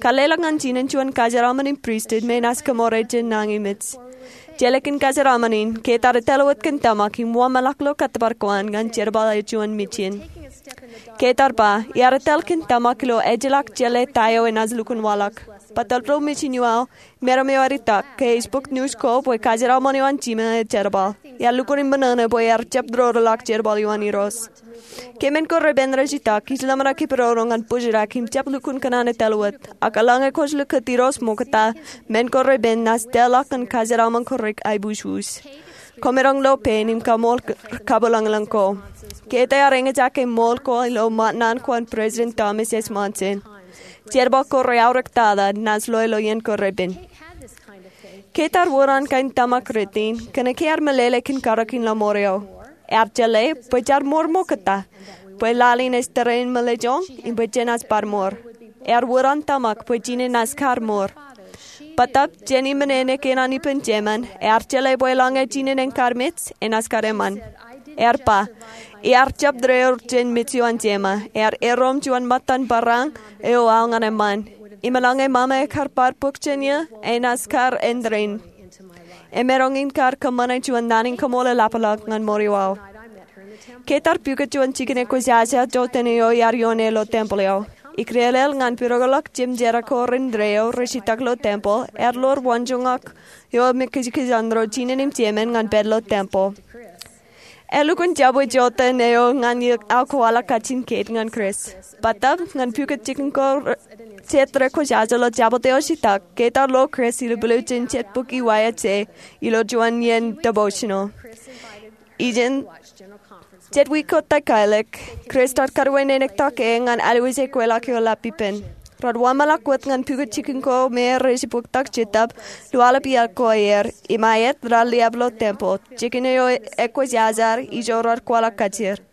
Kar leḷọk ñan jinen juon kajeraṃṃan in pristut me enaaj kōṃṃoorḷọk jān nañinmej. Jelōt kōn kajeraṃṃan in, Kate ear etal wōt kōn tōmak im wōnṃaanḷọk ilo kōttōpar ko an ñan jerbal eo juon mission. Kate ear ba, iar etal kōn tōmak ilo ejjeḷọk jeḷā ta eo enaaj lukkuun waḷọk. Bōtab ilo mission eo aō, meram eo ear itak ke ej bōk news ko bwe kajeraṃṃan eo an jima ej jerbal. Iar lukkuun in ṃōṇōṇō bwe ear jab roñḷọk jerbal eo an irooj. Ke men ko repen rej itak, ij ḷōmṇak ippān doon ñan bōjrak im jab lukkuun kōṇaan etal wōt. Ak eḷaññe kwōj likūt irooj ṃokta, men ko repen naaj tōlḷọk ñan kajeraṃṃan ko rej aebujbus. Kwōmaroñ lo pein im kaṃool kabwilōñlōñ ko. Kate ear eñjake ṃool ko ilo ṃōttan naan ko an President Thomas S. Monson. Jerbal ko reaorōktata naaj lo ilo iien ko repen. Kate ear wōr an kain tōmak rot in, kōnke ear meḷeḷe kōn karōk in laṃoor eo. Ear jeḷā bwe jaar mour ṃokta, bwe laḷ in ej tōre in mālejjoñ, im bwe jenaaj bar mour. Ear wōr an tōmak bwe jinen enaaj kar mour. Bōtab jān iṃōṇōṇō kein an ippān jemān, ear jeḷā bwe eḷaññe jinen en kar mej, enaaj kar eṃṃan. Ear ba, iar jab tōre ur jān mej eo an jema, ear erom juon ṃōttan barāinwōt eo aō ñan eṃṃan. Im eḷaññe ṃaṃa ekar bar bōk jān eō, enaaj kar āindein. Emaroñ in kar kōṃṃane juon naan in kaṃool eḷapḷọk ñan mour eo aō. Kate ear pukot juon jikin ekwōjarjar jota in eo iar ioone ilo tempel eo. Ikdeḷeḷ ñan pidoḷọk jemjerak ko reindeeo rej itak ilo tempeḷ, ear lor waanjoñak eo me kōjkōj an ro jinen im jemān ñan pād ilo tempeḷ. Elukkuun jabwe joteen eo ñan iiō aō kwaḷọk kajin Kate ñan Chris. Bōtab ñan pukot jikin ko jet rekwōjarjar ilo Jabōt eo ej itak, Kate ear lo Chris ilo bwilōñ jān jet bok iwaia je ilo juon iien devotional. Ijin jet wiik ko takaelōk, Chris ear kōtwōj nānōk tok e ñan alwōje kweilọk eo lap ippān. Raar wōnṃaanḷọk wōt ñan pukot jikin ko me rej bōktok Jetōb, lo aḷap iaḷ ko aer, im aet raar liab ilo tempeḷ. Jikin eo ekwōjarjar, ijo raar kwaḷọk kajjier.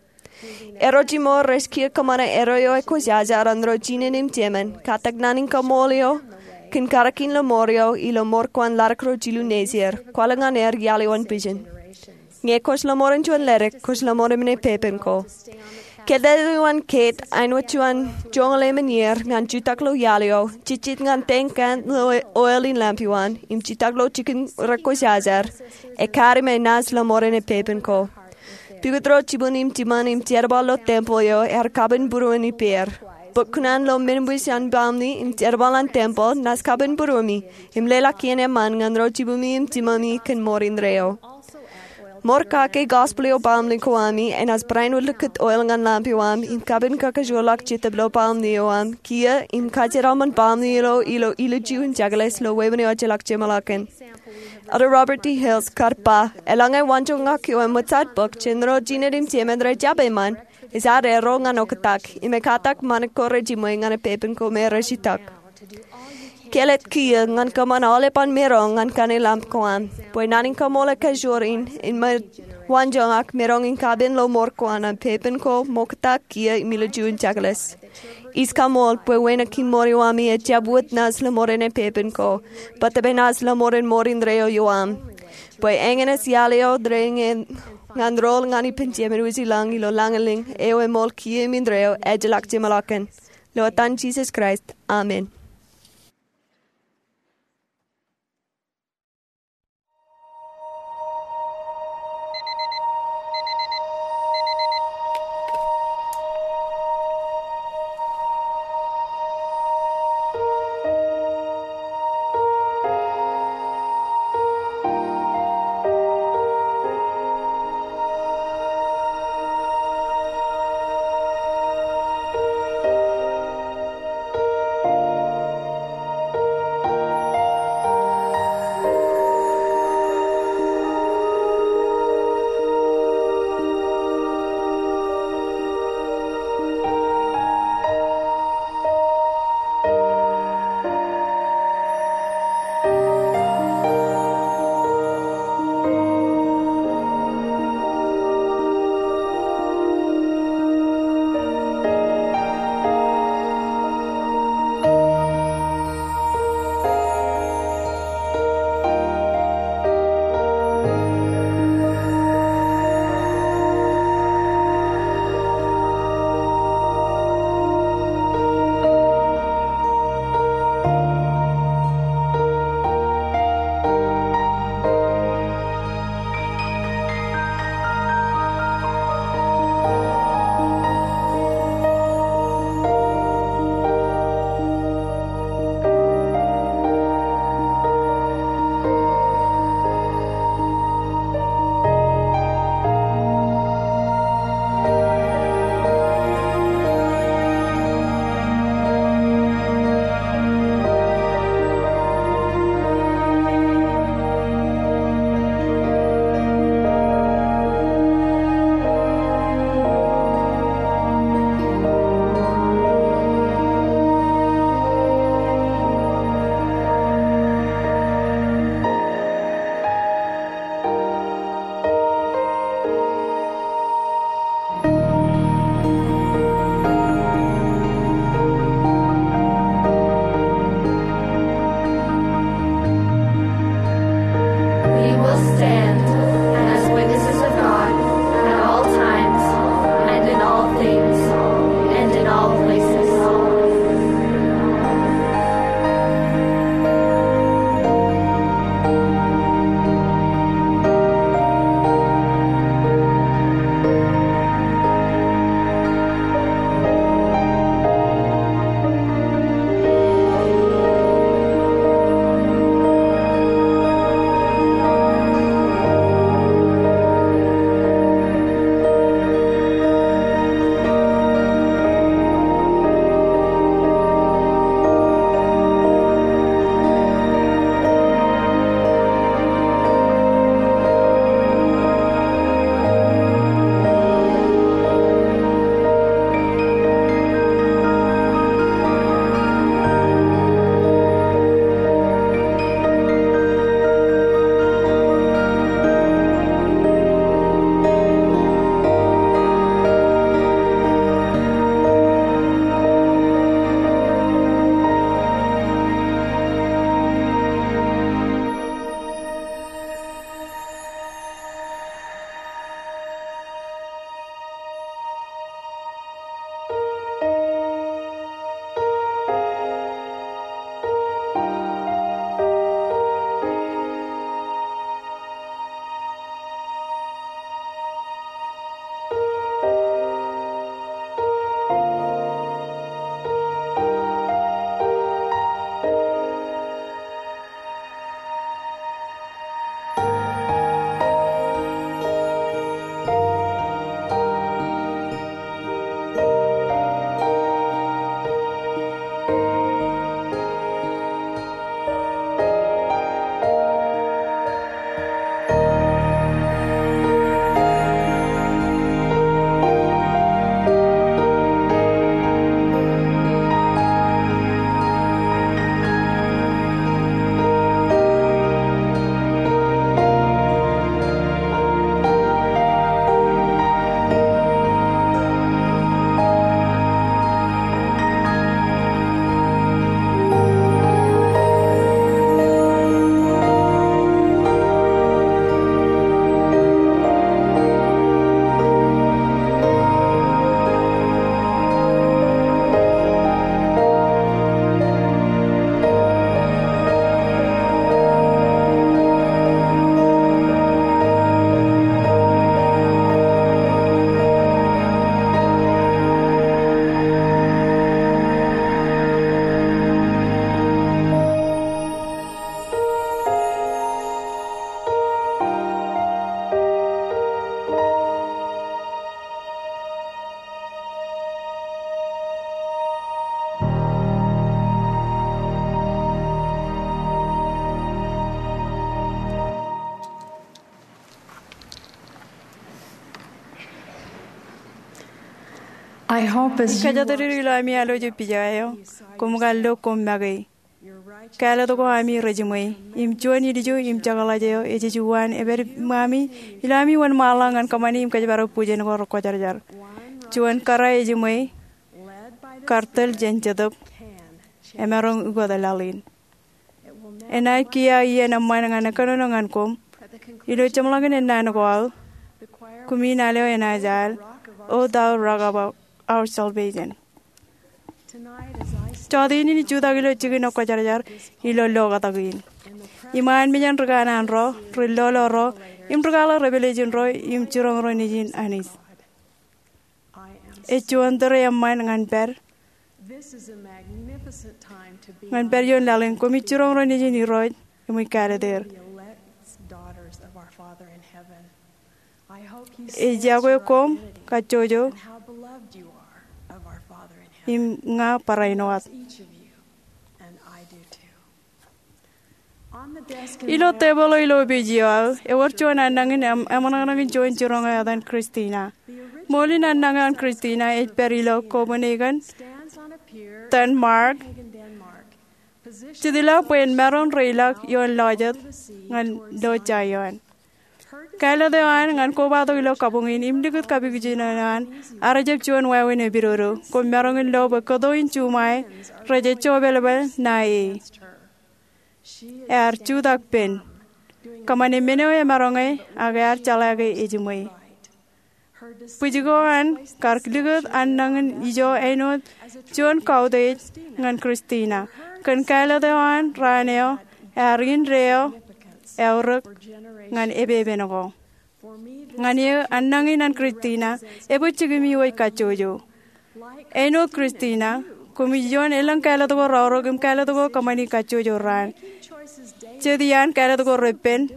Erro jimor rej kiiō kōṃṃane erro eo ekwōjarjar an ro jinen im jemān, katak naan in kaṃṃool eo kōn karōk in lọmọọr eo ilo ṃoor ko an ḷadik ro jilu nejier, kwaḷọk ñan er iaḷ eo an vision. Ñe kwōj lọmọọren juon ledik, kwōj lọmọọren men epepen ko. Kōtḷọk eo an Kate āinwōt juon joñoul emān iier ñan jutak ilo iaḷ eo, jejjet ñan tank eo an oil in lampioam, im jutak ilo jikin rekwōjarjar, ekkar im enaaj lọmọọren epepen ko. Pukot ro jibwin im jiṃṃan im jerbal ilo tempeḷ eo ear kapenbūruon ippāer. Bōk kuṇaan ilo men wōj an baṃle im jerbal an tempeḷ naaj kapenbūruomi, im leḷọk iien eṃṃan ñan ro jibwimi im jiṃṃami kōn ṃoor indeeo. Ṃoor kake gospel eo baṃle ko ami enaaj barāinwōt likūt oil ñan lampioam im kapenkakajoorḷọk Jetōb ilo baṃle eo aṃ kiiō im kajeraṃṃan baṃle eo ilo ilju in jekles ilo wāween eo ejjeḷọk jeṃḷọkin. Elder Robert D. Hales kar ba, eḷaññe waanjoñak eo eṃōj ad bōk jān ro jinen im jemān rej jab eṃṃan, ej ad erro ñan oktak, im ekatak ṃanit ko rejiṃwe ñan epepen ko me rej itak. Kelōt kiiō ñan kōṃṃan aolepān maroñ ñan kaṇe lamp ko aṃ, bwe naan in kaṃṃool ekajoor in, im waanjoñak maroñ in kapen ilo ṃoor ko an epepen ko, ṃokta, kiiō im ilju in jekles. Ij kaṃṃool bwe wānōk in ṃool eo ami ejjab wōt naaj lọmọọren epepen ko, bōtab enaaj lọmọọren ṃoor indeeo ioam. Bwe eñin ej iaḷ eo rein ñan rool ñan ippān Jemān wōj ilañ ilo lañlōñ eo eṃool kiiō im indeeo ejjeḷọk jeṃḷọkin. Ilo etan Jisōs Kraist, amen. Kōjatdikdik ilo ami alwōj eo pijaw eo, koṃ kar lo koṃ make. Kāālōt ko ami rejiṃwe. Im juon ilju im jekḷaj eo ej juon ej pād iṃōmi ilo ami wōnṃaanḷọk ñan kōṃṃani im kōjparok bwijin ko rekwōjarjar. Juon kōrā ejiṃwe, kar tōl jān Jetōb, emaroñ ukōt laḷ in. Enaaj kiiō iien eṃṃan ñan kōnono ñan koṃ. Ilo jeṃḷọkin ennaan ko aō, kumi nal eo enaaj al, O thou rock of our salvation. Jọteen in ij jutak ilo jikin rekwōjarjar ilo lokatak in, iṃaan mejān ri kanaan ro, ri lolo ro, im ri kwaḷọk revelation ro im jiroñ ro nejin Anij. Ej juon tōre eṃṃan ñan pād, ñan pād ioon laḷ in koṃij jiroñ ro nejin Irooj im ij kāālōt er. Ej iọkwe koṃ kajjojo im ña barāinwōt. Ilo tebōḷ eo ilo opiij eo aō, ewōr juon annañin eṃ-, eṃōṇōṇō in juon jiroñ eo etan Christina. Ṃool in annañ eo an Christina ej pād ilo Copenhagen, Denmark, jitḷọk bwe en maroñ reilọk ioon lọjet ñan Loch Sion. Kāālōt eo an ñan kobatok ilo kabuñ in im likūt kapijuknen eo an ear jab juon wāween epidodo. Koṃ maroñ in lo bwe kōto in juṃae rej jejjo epelepel ṇae. Ear jutak pen, kōṃṃane men eo emaroñe, ak ear jeḷā ke ejiṃwe. Bwij ko an kar likūt annañin ijo āinwōt juon kautiej ñan Christina. Kōn kāālōt eo an raan eo, ear indeeo eaorōk ñan epepen ko. Ñan eō, annañin an Christina ebwe jikimi wōj kajjojo. Āinwōt Christina, koṃij iioon elōñ kāālōt ko reaorōk im kāālōt ko kōṃṃani kajjojo raan. Jet iaan kāālōt ko repen,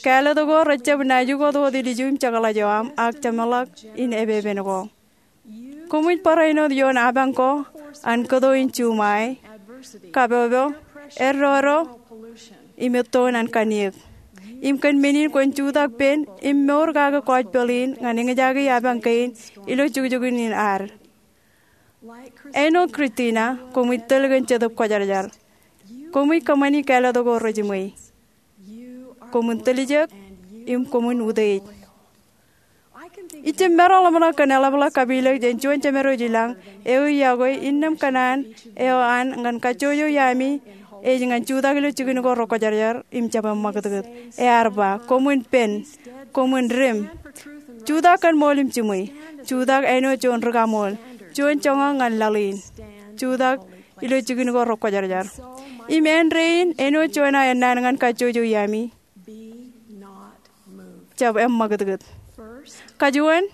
kāālōt ko rejjab naaj ukot wōt ilju im jekḷaj eo aṃ ak jeṃḷọk in epepen ko. Koṃij barāinwōt ioon apañ ko an kōto in juṃae, kapopo, eddodo, im ettoon an kanniōk. Im kōn men in kwōn jutak pen im mour kake gospel in ñan eñjake apañ kein ilo jukjuk in ad. Āinwōt Christina, koṃij tōl kōn Jetōb Kwōjarjar. Koṃij kōṃṃani kāālōt ko rejiṃwe. Koṃwin tiljek im koṃwin utiej. Ij jab maroñ ḷōmṇak kōn eḷapḷọk kapilōk jān juon jemed eo ilañ eo ej iọkwe innām kōṇaan eo an ñan kajjojo iaami ej ñan jutak ilo jikin ko rekwōjarjar im jab eṃṃakūtkūt. Ear ba, koṃwin pen, koṃwin dim. Jutak kōn ṃool im jiṃwe. Jutak āinwōt juon ri-kaṃool, juon joñak ñan laḷ in. Jutak ilo jikin ko rekwōjarjar. Im āindein āinwōt juon aō ennaan ñan kajjojo iaami, jab eṃṃakūtkūt. Kajuon,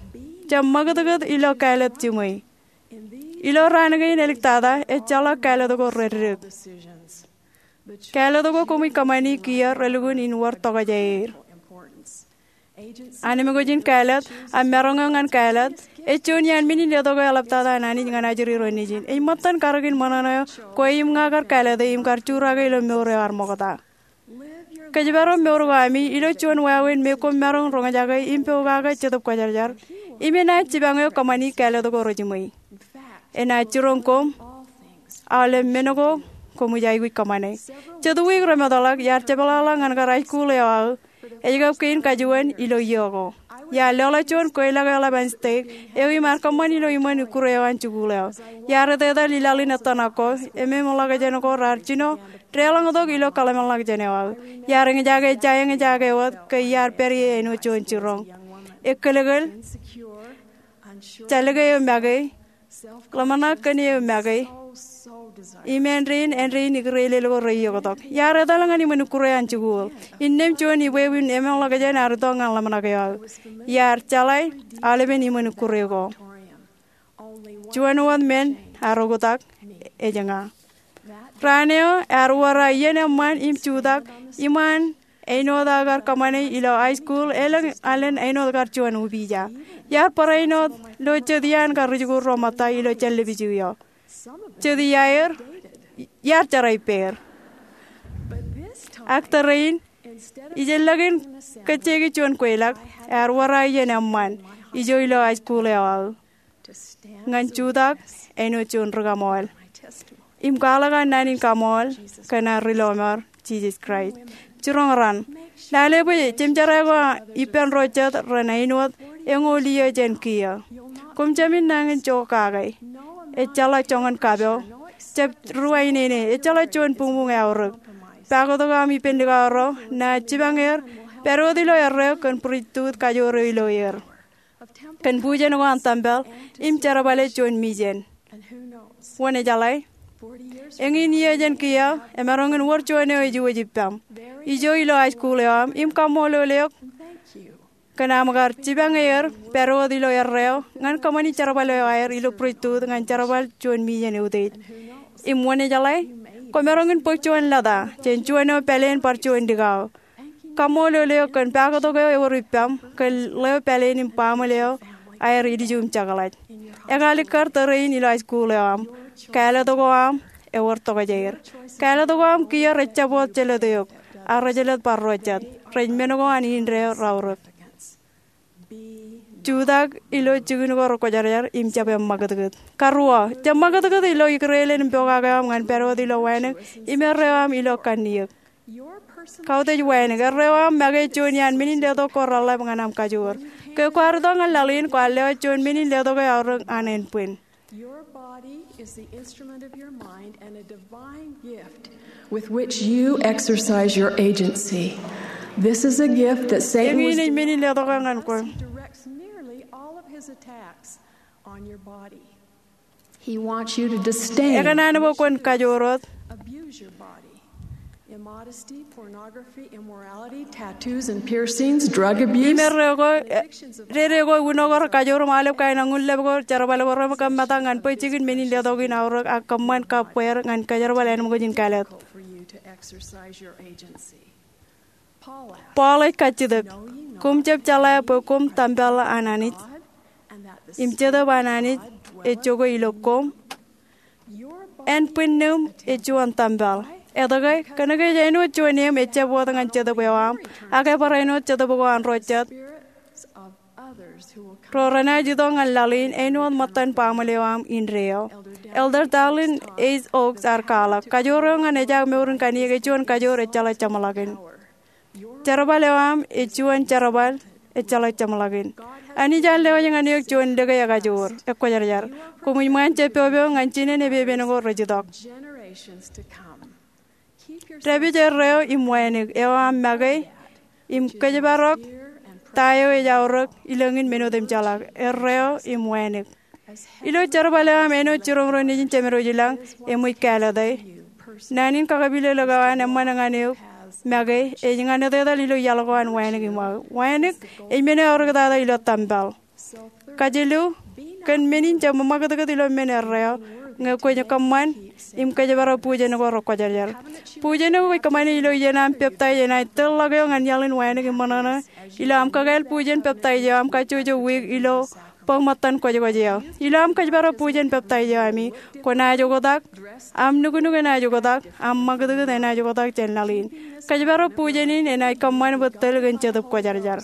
jab ṃakūtkūt ilo kāālōt jiṃwe. Ilo raan kein āliktata, ejjeḷọk kāālōt ko reddik. Kāālōt ko koṃij kōṃṃani kiiō relukkuun in wōr tokjāer. Anemkwōj in kāālōt, a maroñ eo ñan kāālōt, ej juon iaan men in letok eo eḷaptata an Anij ñan ajri ro nejin. Ej ṃōttan karōk in ṃōṇōṇō eo kwe im ña kar kāālōte im kar jurake ilo mour eo ear ṃokta. Kōjparok mour ko ami ilo juon wāween me koṃ maroñ roñjake im pokake Jetōb Kwōjarjar, im enaaj jipañ eo kōṃṃani kāālōt ko rejiṃwe. Enaaj jiroñ koṃ aolep men ko koṃij aikuj kōṃṃane. Jet wiik remootḷọk, iar jepḷaḷọk ñan kar high school eo aō, ej kab kein kajuon ilo iiō ko. Iar lewōḷọk juon kweilọk eo ḷap an state eo im ear kōṃṃan ilo iṃōn ikkure eo an jikuuḷ eo. Iar etetal i laḷ in ettōṇak ko, ememḷọkjeṇ ko raar jino deḷọñtok ilo kōḷmānḷọkjeṇ eo aō. Iar eñjake ejja eñjake wōt ke iar pād ie āinwōt juon jiroñ. Ekōlōkōl, jallōke eo make, ḷōmṇak kōn eo make, im āindein, āindein ikūrelel ko reioktok. Iar etal ñan iṃōn ikkure an jikuuḷ. Innām juon ibwebwin ememḷọkjeṇ ear itok ñan ḷōmṇak eo aō. Iar jeḷā aolepen iṃōn ikkure ko. Juon wōt men ear oktak, ej ña. Raan eo ear wōr aō iien eṃṃan im jutak iṃaan āinwōt aō kar kōṃṃane ilo high school, elōñ alen āinwōt kar juon upija. Iar barāinwōt lo jet iaan kar ri-jikuuḷ ro ṃōtta ilo jān lōb ijin eo. Jet iaer, iar jerā ippāer. Ak tōre in, ijellọkin kōjjeiki juon kweilọk, ear wōr aō iien eṃṃan ijo ilo high school eo aō. ñan jutak āinwōt juon ri-kaṃool im kwaḷọk an naan in kaṃool kōn ad ri-lọmọọr Jisōs Kraist. Jiroñ raṇ, lale bwe jemjerā ko ippān ro jet ren āinwōt eñoul iiō jān kiiō. Koṃ jāmin nañin jokake. Ejjeḷọk joñan kapo. Jab ruwainene. Ejjeḷọk juon buñbuñ eaorōk. Pāktok eo aṃ ippān likao ro, naaj jipañ er, pād wōt ilo erreo kōn priesthood kajoor eo ilo er, kōn bujen ko an tempel im jerbale juon mission. Wōn ejeḷā? Eñin iiō jān kiiō, emaroñ in wōr juon eo ej iwōj ippaṃ. Ijo ilo high school eo aṃ im kaṃṃoolol eok kōn aṃ kar jipañ er pād wōt ilo erreo ñan kōṃṃani jerbal eo aer ilo priesthood ñan jerbal juon mission eutiej. Im wōn ejeḷā? Kwōmaroñ in bōk juon lōta jān juon eo pāleen bar juon likao. Kaṃṃoolol eok kōn pāktok eo ewōr ippaṃ kōn ḷeo pāleen im baaṃle eo aer ilju im jekḷaj. Ekalikkar tōre in ilo high school eo aṃ. Kāālōt ko aṃ ewōr tokjāer. Kāālōt ko aṃ kiiō rej jab wōt jelōt eok, ak rej jelōt bar ro jet. Rej men ko an indeeo raorōk. Jutak ilo jikin ko rekwōjarjar im jab eṃṃakūtkūt. Karuo, jab ṃakūtkūt ilo ikdeḷọñ im pokake eo aṃ ñan pād wōt ilo wānōk im erreo aṃ ilo kanniōk. Kautiej wānōk. Erreo aṃ make juon iaan men in letok ko reḷḷap ñan aṃ kajoor. Ke kwaar itok ñan laḷ in, kwaar lewōj juon men in letok eo aorōk an ānbwin. Your body is the instrument of your mind and a divine gift with which you exercise your agency. This is a gift that Satan was Eñin ej men in letok eo ñan kwe. He directs nearly all of his attacks on your body. He wants you to disdain, Ekōṇaan bwe kwōn kajoor wōt, abuse your body. Immodesty, pornography, immorality, tattoos and piercings, drug abuse, im erreo ko, addictions of dede ko, uno ko rekajoor im aolep kain ñan ḷap ko, jerbal ko reṃōk kōm metak ñan bwe jikin men in letok in aorōk ak kōṃṃan kab bweer ñan kōjerbal ānbwin in kāālōt. For you to exercise your agency. Paul ej kajjitōk, koṃ jab jeḷā bwe koṃ tempel an Anij, im Jetōb an Anij ej jokwe ilo koṃ? Ānbwinnūṃ ej juon tempel. Etke? Kōnke ej āinwōt juon eṃ ejjab wōt ñan jetōb eo aṃ, ak ebar āinwōt jetōb ko an ro jet ro renaaj itok ñan laḷ in āinwōt ṃōttan baaṃle eo aṃ indeeo. Elder Dallin H. Oaks ear kwaḷọk, kajoor eo ñan ejaak mour in kanniōk ej juon kajoor ejjeḷọk jeṃḷọkin. Jerbal eo aṃ ej juon jerbal ejjeḷọk jeṃḷọkin. Anij ear lewōj ñan eok juon lōke ekajoor, ekwōjarjar. Koṃij ṃaan jeppepe ñan jinen epepen ko rej itok. Dāpij erreo im wānōk eo aṃ make im kōjparok ta eo ej aorōk ilōñin men otemjeḷọk. Erreo im wānōk. Ilo jerbal eo aṃ āinwōt jiroñ ro nejin jemedwōj ilañ, eṃōj kāālōte. Naan in kakapilōklōk eo an eṃṃan ñan eok make ej ñan etetal ilo iaḷ ko an wānōk iṃōk. Wānōk ej men eo eaorōktata ilo tempel. Kajilu, kōn men in jab ṃakūtkūt ilo men erreo, ñe kwōj kōṃṃan im kōjparok bujen ko rekwōjarjar. Bujen eo kwōj kōṃṃane ilo iien aṃ peptaij enaaj tōl ḷọk eo ñan iaḷ in wānōk im ṃōṇōṇō. Ilo aṃ kakāāl bujen peptaij eo, aṃ kajjojo wiik ilo bōk ṃōttan kwōjkwōj eo. Ilo aṃ kōjparok bujen peptaij eo ami, kwōnaaj oktak, aṃ nuknuk enaaj oktak, aṃ ṃakūtkūt enaaj oktak jān laḷ in. Kōjparok bujen in enaaj kōṃṃan bwe tōl kōn Jetōb Kwōjarjar.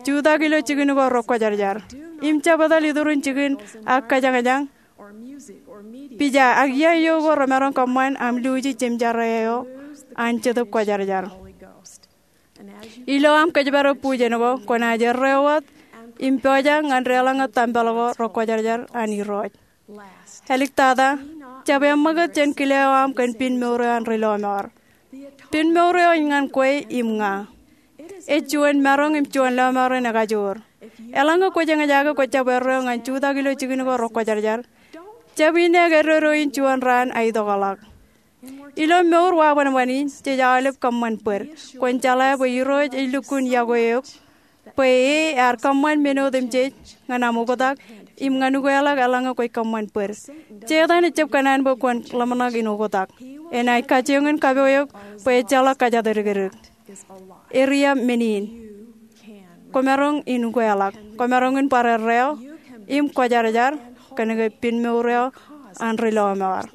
Jutak ilo jikin ko rekwōjarjar im jab etal iturin jikin ak kōjañjañ, pija ak iaio ko remaroñ kōṃṃan aṃ luuji jemjerā eo an Jetōb Kwōjarjar. Ilo aṃ kōjparok bujen ko, kwōnaaj erreo wōt im pojak ñan deḷọñe tempel ko rekwōjarjar an Irooj. Āliktata, jab eṃṃakūt jān kile eo aṃ kōn pinmour eo an ri-lọmọọr. Pinmour eo ej ñan kwe im ña. Ej juon maroñ im juon lọmọọren ekajoor. Eḷaññe kwōj eñjake kwōj jab erreo ñan jutak ilo jikin ko rekwōjarjar, jab inne ke dodo in juon raan aitok ḷọk. Ilo mour wabōnbōn in, jej aolep kōṃṃan bōd. Kwōn jeḷā bwe Irooj ej lukkuun yokwe eok, bwe e ear kōṃṃan men otemjej ñan aṃ oktak im ñan ukeḷọk eḷaññe kwōj kōṃṃan bōd. Setan ejjab kōṇaan bwe kwōn ḷōmṇak in oktak. Enaaj kajjioñ in kapo eok bwe ejjeḷọk kōjatdikdik. Eria men in. Kwōmaroñ in ukeḷọk. Kwōmaroñ in bar erreo im kwōjarjar kōnke pinmour eo an ri-lọmọọr.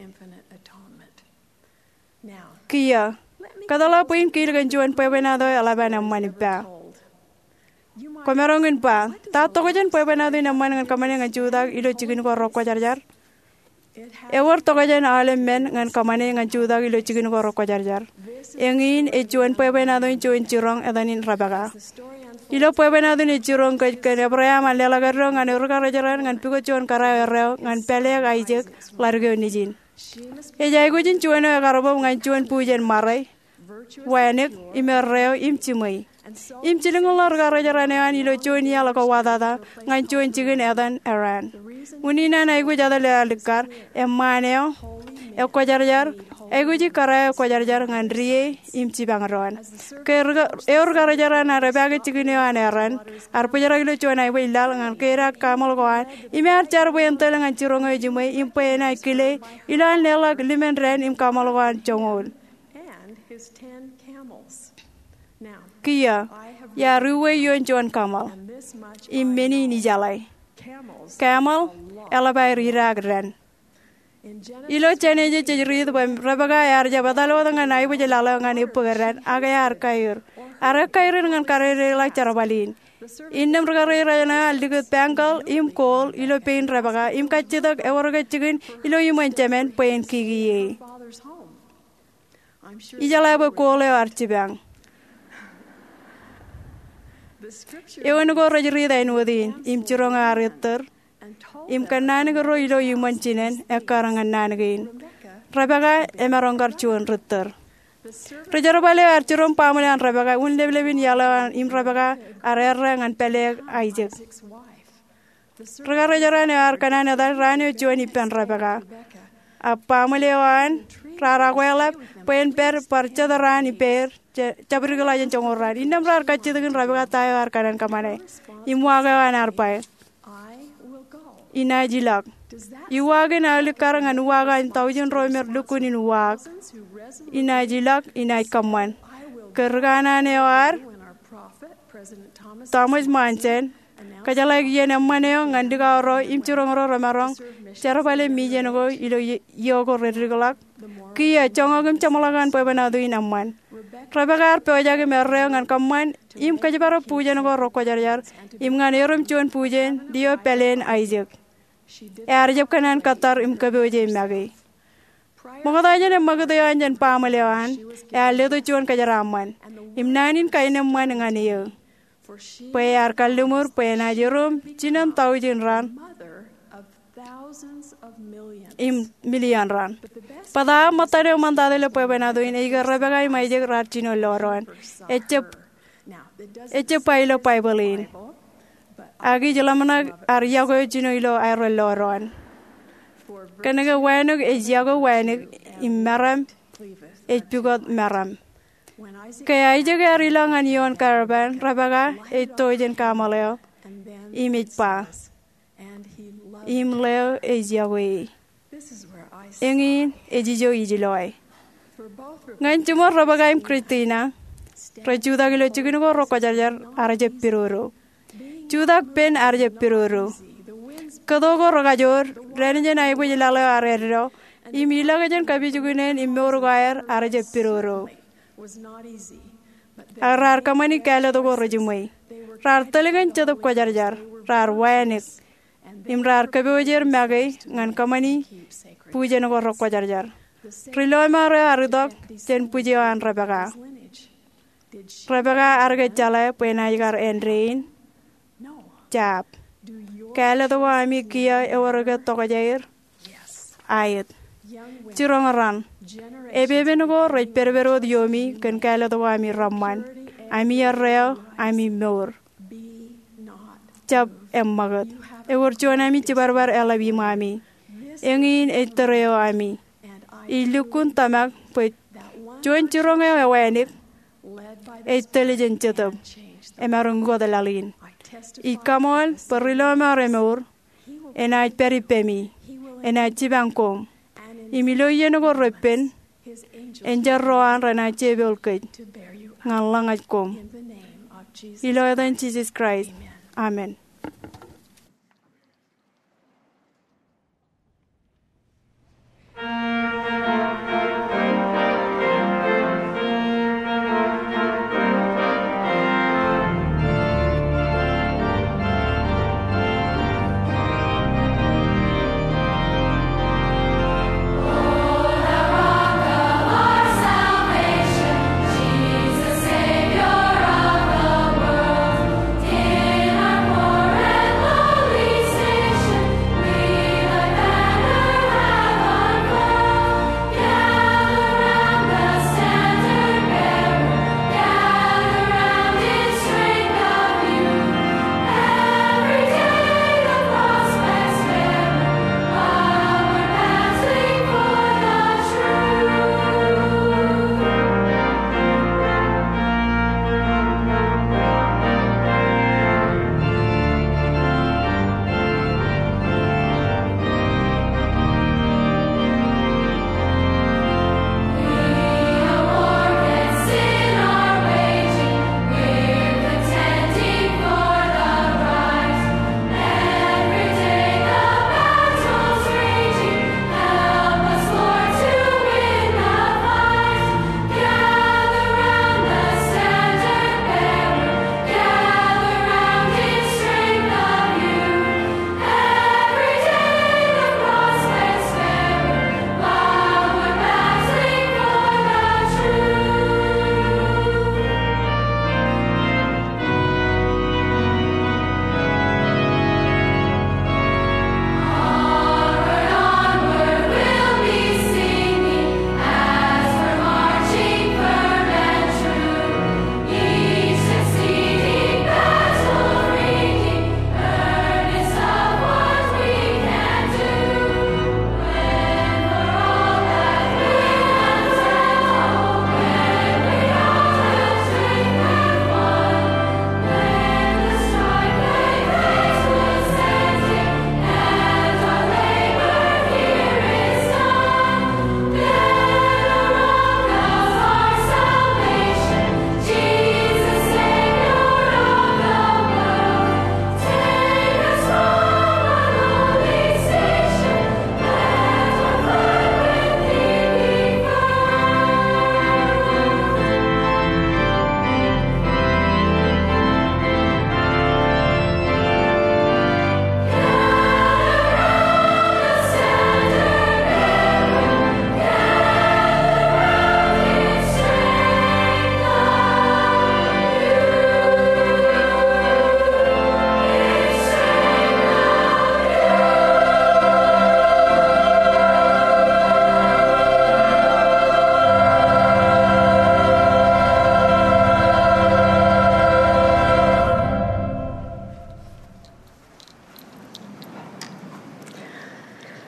Kiiō, kōtḷọk bwe in kiil kōn juon bwebwenato eo eḷap an eṃṃan ippa. Kwōmaroñ in ba, ta tokjān bwebwenato in eṃṃan ñan kōṃṃane ñan jutak ilo jikin ko rekwōjarjar? Ewōr tokjān aolep men ñan kōṃṃane ñan jutak ilo jikin ko rekwōjarjar. Eñin ej juon bwebwenato in juon jiroñ etan in Rebeka. Ilo bwebwenato in ej jiroñ kōj kōn Ebream an leḷọk eddo ñan ewōr karrejeran ñan pukot juon kōrā erreo ñan pāleek Aisak ḷaddik eo nejin. Ej aikuj in juon eo ekar bōb ñan juon bujen ṃare, wānōk, im erreo, im jiṃwe. Im jilkinḷọk ri karrejeran eo an ilo juon iaḷ ko watata ñan juon jikin etan Haran. Unin an aikuj etal eo alikkar, eṃṃaan eo, ekwōjarjar, aikuji kōrā eo kwōjarjar ñan die im jipañ doon. Ke ri ka-, ewōr karrejeran ear epaake jikin eo an Haran, ear bōjrak ilo juon aebwij laḷ ñan keidaak kamel ko an, im ear jar bwe en tōl ñan jiroñ eo ejiṃwe, im bwe enaaj kile, ilo an leḷọk limōn dān im kamel ko an joñoul. Kiiō, iar uwe ioon juon kamel, im men in ijeḷā. Kamel eḷap aer idaak dān. Ilo Jenesis ej riit bwe Rebeka ear jab etal wōt ñan aebwij laḷ eo ñan ebbōk dān, ak ear kaiur. Ear ekaiur in ñan kadedeḷọk jerbal in. Innām ri karrejeran eo an likūt bāñkōḷ im kooḷ ilo pein Rebeka, im kajjitōk ewōr ke jikin ilo iṃōn jemān bwe en kikiiō e. Ijeḷā bwe kooḷ eo ear jipañ. Eoon ko rej riit āinwōt in, im jiroñ eo ear ettōr, im kōnnaan ko ro ilo iṃōn jinen ekkar ñan naan kein. Rebeka emaroñ kar juon rittōr. Ri jerbal eo ear jiroñ baaṃle an Rebeka, un leplepin iaḷ eo an im Rebeka ear errā ñan pāleek Aisak. Ri karrejeran eo ear kōṇaan etal raan eo juon ippān Rebeka. Ak baaṃle eo an raar akweḷap bwe en pād bar jet raan ippāer, je-, jabdikḷọk jān joñoul raan. Innām raar kajjitōk in Rebeka ta eo ear kōṇaan kōṃṃane. Im uwaak eo an ear ba, inaaj ilọk. Uwaak in alikkar ñan uwaak an taujin ro me rej lukkuun in uwaak. Inaaj ilọk, inaaj kōṃṃan. Ke ri kanaan eo ad, Thomas Monson, kōjeḷāik iien eṃṃan eo ñan likao ro im jiroñ ro remaroñ jerbale mijen ko ilo i-, iiō ko redikḷọk. Kiiō, joñak im jeṃḷọk an bwebwenato in eṃṃan. Rebeka ear pojak im erreo ñan kōṃṃan im kōjparok bujen ko rekwōjarjar, im ñan erom juon bujen, lio pāleen Aisak. Ear jab kōṇaan kōttar im kōpooje make. Ṃokta jān eṃṃakūt eo an jān baaṃle eo an, ear letok juon kōjeraṃṃan, im naan in kaenōṃṃan ñan eō. Bwe ear kalliṃur bwe enaaj erom jinen taujin ran, im milion ran. Bōtaab ṃōttan eo ṃōntata ilo bwebwenato in ej ke Rebeka im Aisak raar jino lọdoon. Ejjab, ejjab ba ilo Baibōḷ in. Ak ij ḷōmṇak ear yokwe jino ilo aerro lọdoon. Kōnke wānōk ej yokwe wānōk, im meram ej pukot meram. Ke Aisak ear ilọk ñan ioon karpaan, Rebeka ej to jān kamel eo, im ej ba, im ḷeo ej yokwe e. Eñin ej ijo ij loe. Ñan jiṃor Rebeka im Kristina, rej jutak ilo jikin ko rekwōjarjar, ak rej jab pidodo. Jutak pen ak rej jab pidodo. Kōto ko rekajoor, dān jān aebwij laḷ eo ear eddo, im ilọk jān kapijuknen im mour ko aer, ak rej jab pidodo. Ak raar kōṃṃani kāālōt ko rejiṃwe. Raar tōl kōn Jetōb Kwōjarjar, raar wānōk, im raar kōpooje make ñan kōṃṃani bujen ko rekwōjarjar. Ri lọmọọr eo ear itok jān bwij eo an Rebeka. Rebeka ear ke jeḷā bwe enaaj kar āindein? Jab. Kāālōt ko ami kiiō ewōr ke tokjāer? Aet. Jiroñ raṇ. Epepen ko rej pedped wōt iomi kōn kāālōt ko ami reṃṃan, ami erreo, ami mour. Jab eṃṃakūt. Ewōr juon ami jibadbad eḷap iṃaami. Eñin ej tōre eo ami. Ij lukkuun tōmak bwe juon jiroñ eo ewānōk ej tōl jān Jetōb emaroñ ukōt laḷ in. Ij kaṃool bwe ri lọmọọr emour, enaaj pād ippemi, enaaj jipañ koṃ, im ilo iien ko repen, enjeḷ ro an renaaj jepool kōj ñan ḷōñaj koṃ. Ilo etan Jisōs Kraist, amen.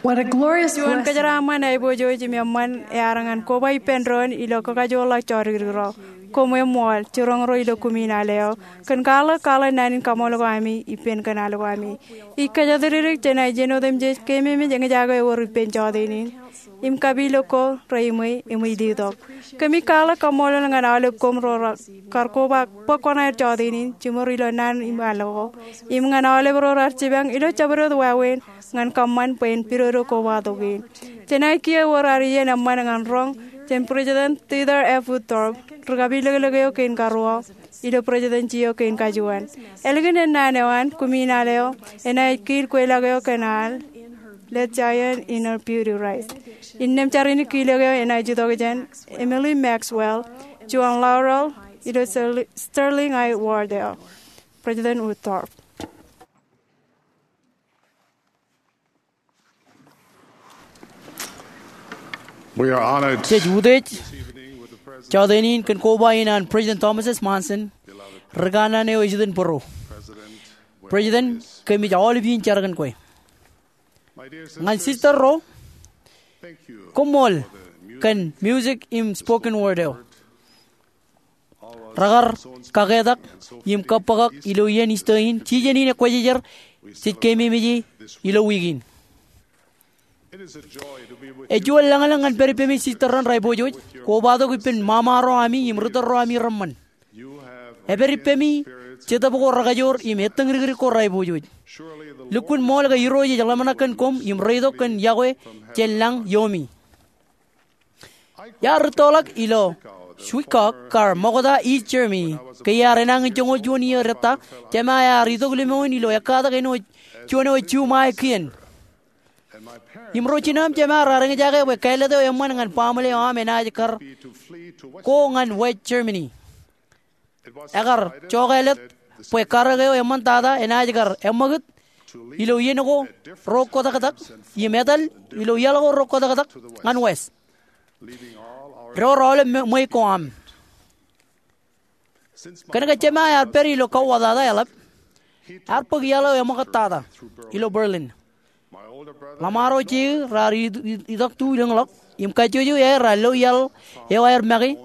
Juon kōjeraaṃṃan aiboojoj im eṃṃan ear ñan koba ippān doon ilo kakajoorḷọk jodikdik ro. Koṃ eṃṃool, jiroñ ro ilo kumi in al eo, kōn kwaḷọk kwaḷọk naan in kaṃṃoolol ko ami ippān kōn al ko ami. Ij kōjatdikdik jenaaj iien otemjej keememej eñjake ewōr ippān jọteen in im kapilōk ko reimwe im ej letok. Kōmij kwaḷọk kaṃṃoolol ñan aolep koṃ ro raar kar koba bōk kuṇaer jọteen in, jiṃor ilo naan im al ko, im ñan aolep ro raar jipañ ilo jabdewōt wāween ñan kōṃṃan bwe en pidodo kobatok in. Jenaaj kiiō ewōr ad iien eṃṃan ñan roñ jān President Dieter F. Uchtdorf ri kapilōklōk eo kein karuo ilo Presidency eo kein kajuon. Ālikin ennaan eo an, kumi in al eo enaaj kiil kweilọk eo kōn al Let Zion Inner Beauty Rise. Innām jar in kiilōk eo enaaj itok jān Emily Maxwell, juon laurel ilo Sterling I. Ward eo. President Uchtdorf. Jej utiej jọteen in kōn koba in an President Thomas S. Monson, ri kanaan eo ejitōn bōro. President, kōmij aolep in jar kōn kwe. Ñan sister ro, koṃṃool kōn music im spoken word eo. Rekar kaketak im kōbbōkak ilo iien Easter in, jijen in ekwōjarjar jej keememej ilo wiik in. Ej juon lañlōñ ñan pād ippemi sister raṇ ri aiboojoj, kobatok ippān mama ro ami im ritōl ro ami reṃṃan. Epād ippemi Jetōb ko rekajoor im ettōñdikdik ko ri aiboojoj. Lukkuun ṃool ke Irooj ej ḷōmṇak kōn koṃ im reitok kōn yokwe jān lañ iomi. Iar rūttoḷọk ilo Zwickau kar ṃokta East Germany ke iar enañin joñoul juon iiō detta, jema ear itok limoin ilo ekkatak āinwōt juon ewe juṃae kien. Im ro jino im jema raar eñjake bwe kāālōt eo eṃṃan ñan baaṃle eo aṃ enaaj kar ko ñan West Germany. Ekar jokāālōt bwe karōk eo eṃṃantata enaaj kar eṃṃakūt ilo iien ko ro kōtaktak im etal ilo iaḷ ko ro kōtaktak ñan west, door aolep ṃweiuk ko aṃ. Kōnke jema ear pād ilo kauwatata eḷap, ear bōk iaḷ eo eṃōkōttata ilo Berlin. Ḷōṃaro jeik raar itok tu ilōñḷọk im kajjojo aer raar lo iaḷ eo aer make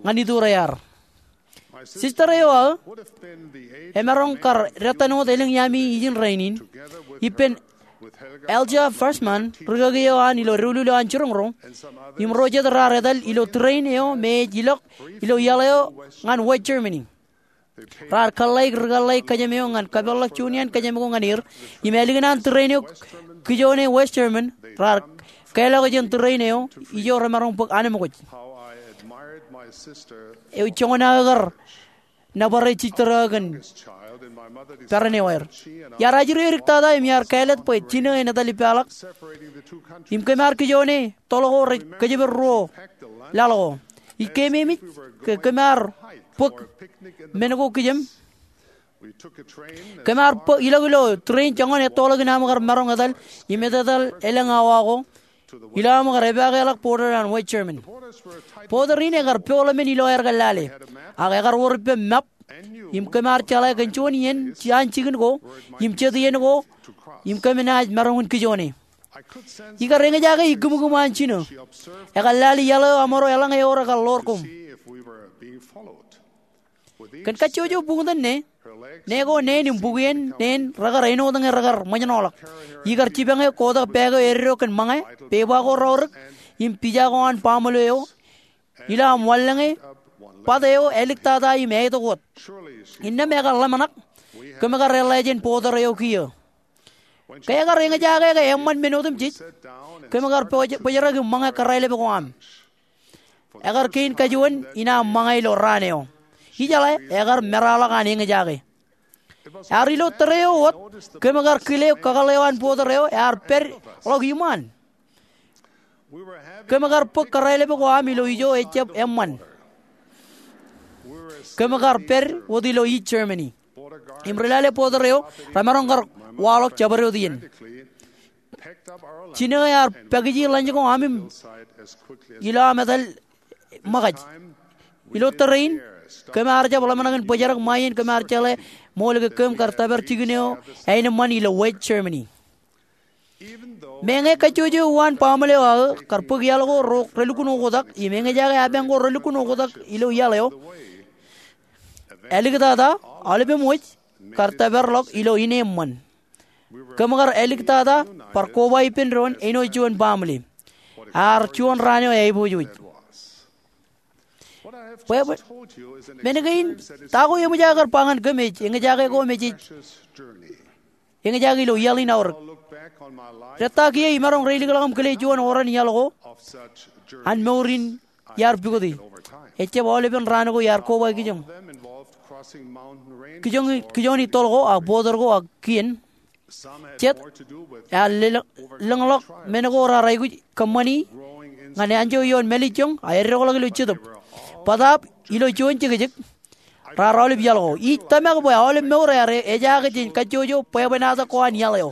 ñan iturre ear. Sister eo aō emaroñ kar dāttan wōt elōñ iaami ijin rainin ippān Helga Fassmann, rikaki eo an ilo doulul eo an jiroñ ro, im ro jet raar etal ilo train eo me ej ilọk ilo iaḷ eo ñan West Germany. Raar kōḷḷāik rikōḷḷāik kōjām eo ñan kapeḷḷọk juon iaan kōjām ko ñan er, im ālikin an train eo kijoone West German, raar kālọk jān train eo ijo remaroñ bōk anemkwōj. Ewi joñan aō kar nōbar sister eo kōn peran eo aer. Iar ajri ediktata im iar kāālōt bwe jinō en etal ippaḷọk im kōm ar kijoone toḷ ko rej kōjepel ruo laḷ ko. Ij keememej ke kōm ar bōk men ko kijem. Kōm ar ilọk ilo train joñan ettoḷọk in aṃ kar maroñ etal im etetal elōñ awa ko ilo aṃ kar epakeḷọk border an West German. Border in ekar poḷ men ilo aer kar lale, ak ekar wōr ippem map, im kōm ar jeḷā kōn juon iien an jikin ko im jet iien ko im kōm naaj maroñ in kijoone. Ikar eñjake ikkūmkūm an jino. Ekar lale iaḷ eo aṃro eḷaññe ewōr ekar ḷoor koṃ. Kōn kajjojo buñtōn ne, ne ko neen im bukien neen rekar āinwōt ñe rekar ṃōjṇọḷọk. Ikar jipañe kotak bag eo eddo kōn ṃōñā, pepa ko raorōk, im pija ko an baaṃle eo ilo aṃ wanlōñe bat eo āliktata im āitok wōt. Innām ekar ḷōmṇak, kōm kar eḷḷā jān border eo kiiō. Ke ekar eñjake ke eṃṃan men otemjej, kōm kar bōjrak im ṃōñā kōrā lepek ko aṃ. Ekar kein kajuon in aṃ ṃōñā ilo raan eo. Ijeḷā, ekar meraḷọk an eñjake. Ear ilo tōre eo wōt, kōm kar kile eok kakōḷḷe eo an border eo ear pād ḷọk iṃaan. Kōm kar bōk kōrā lepek ko aṃ ilo ijo ejjab eṃṃan. Kōm kar pād wōt ilo East Germany. Im ri lale border eo remaroñ kar waḷọk jabdewōt iien. Jino ear pakiji ḷañ ko aṃ im ilo aṃ etal ṃōkaj. Ilo tōre in, kōm ar jab ḷōmṇak in bōjrak ṃae iien kōm ar jeḷā ṃool ke kōm kar tōpar jikin eo āneṃṃan ilo West Germany. Meñe kajjojo uwaan baaṃle eo aō kar bōk iaḷ ko relukkuun oktak im eñjake apañ ko relukkuun oktak ilo iaḷ eo, āliktata aolepem wōj kar tōparḷọk ilo ineeṃṃan. Kōm kar āliktata bar koba ippān doon āinwōt juon baaṃle. Ear juon raan eo aiboojoj. Bwebwe, men kein, ta ko eṃōj aō kar ba ñan kōm ej eñjake ko me jej eñjake ilo iaḷ in aorōk. Rej ta kiiō imaroñ reilikḷọk im kile juon oran iaḷ ko an mour in iar pukoti. Ejjab aolepen raan ko iar koba kijoñ. Kijoñ, kijoñ in toḷ ko ak bọtōr ko ak kien. Jet ear lōñḷọk men ko raar aikuj kōṃṃani ñan anjọ ioon mālejjoñ ak eddoḷọk ilo jetōb. Bōtaab ilo juon jekjek raar aolep iaḷ ko. Ij tōmak bwe aolep mour ear ejaake jān kajjojo bwebwenato ko an iaḷ eo.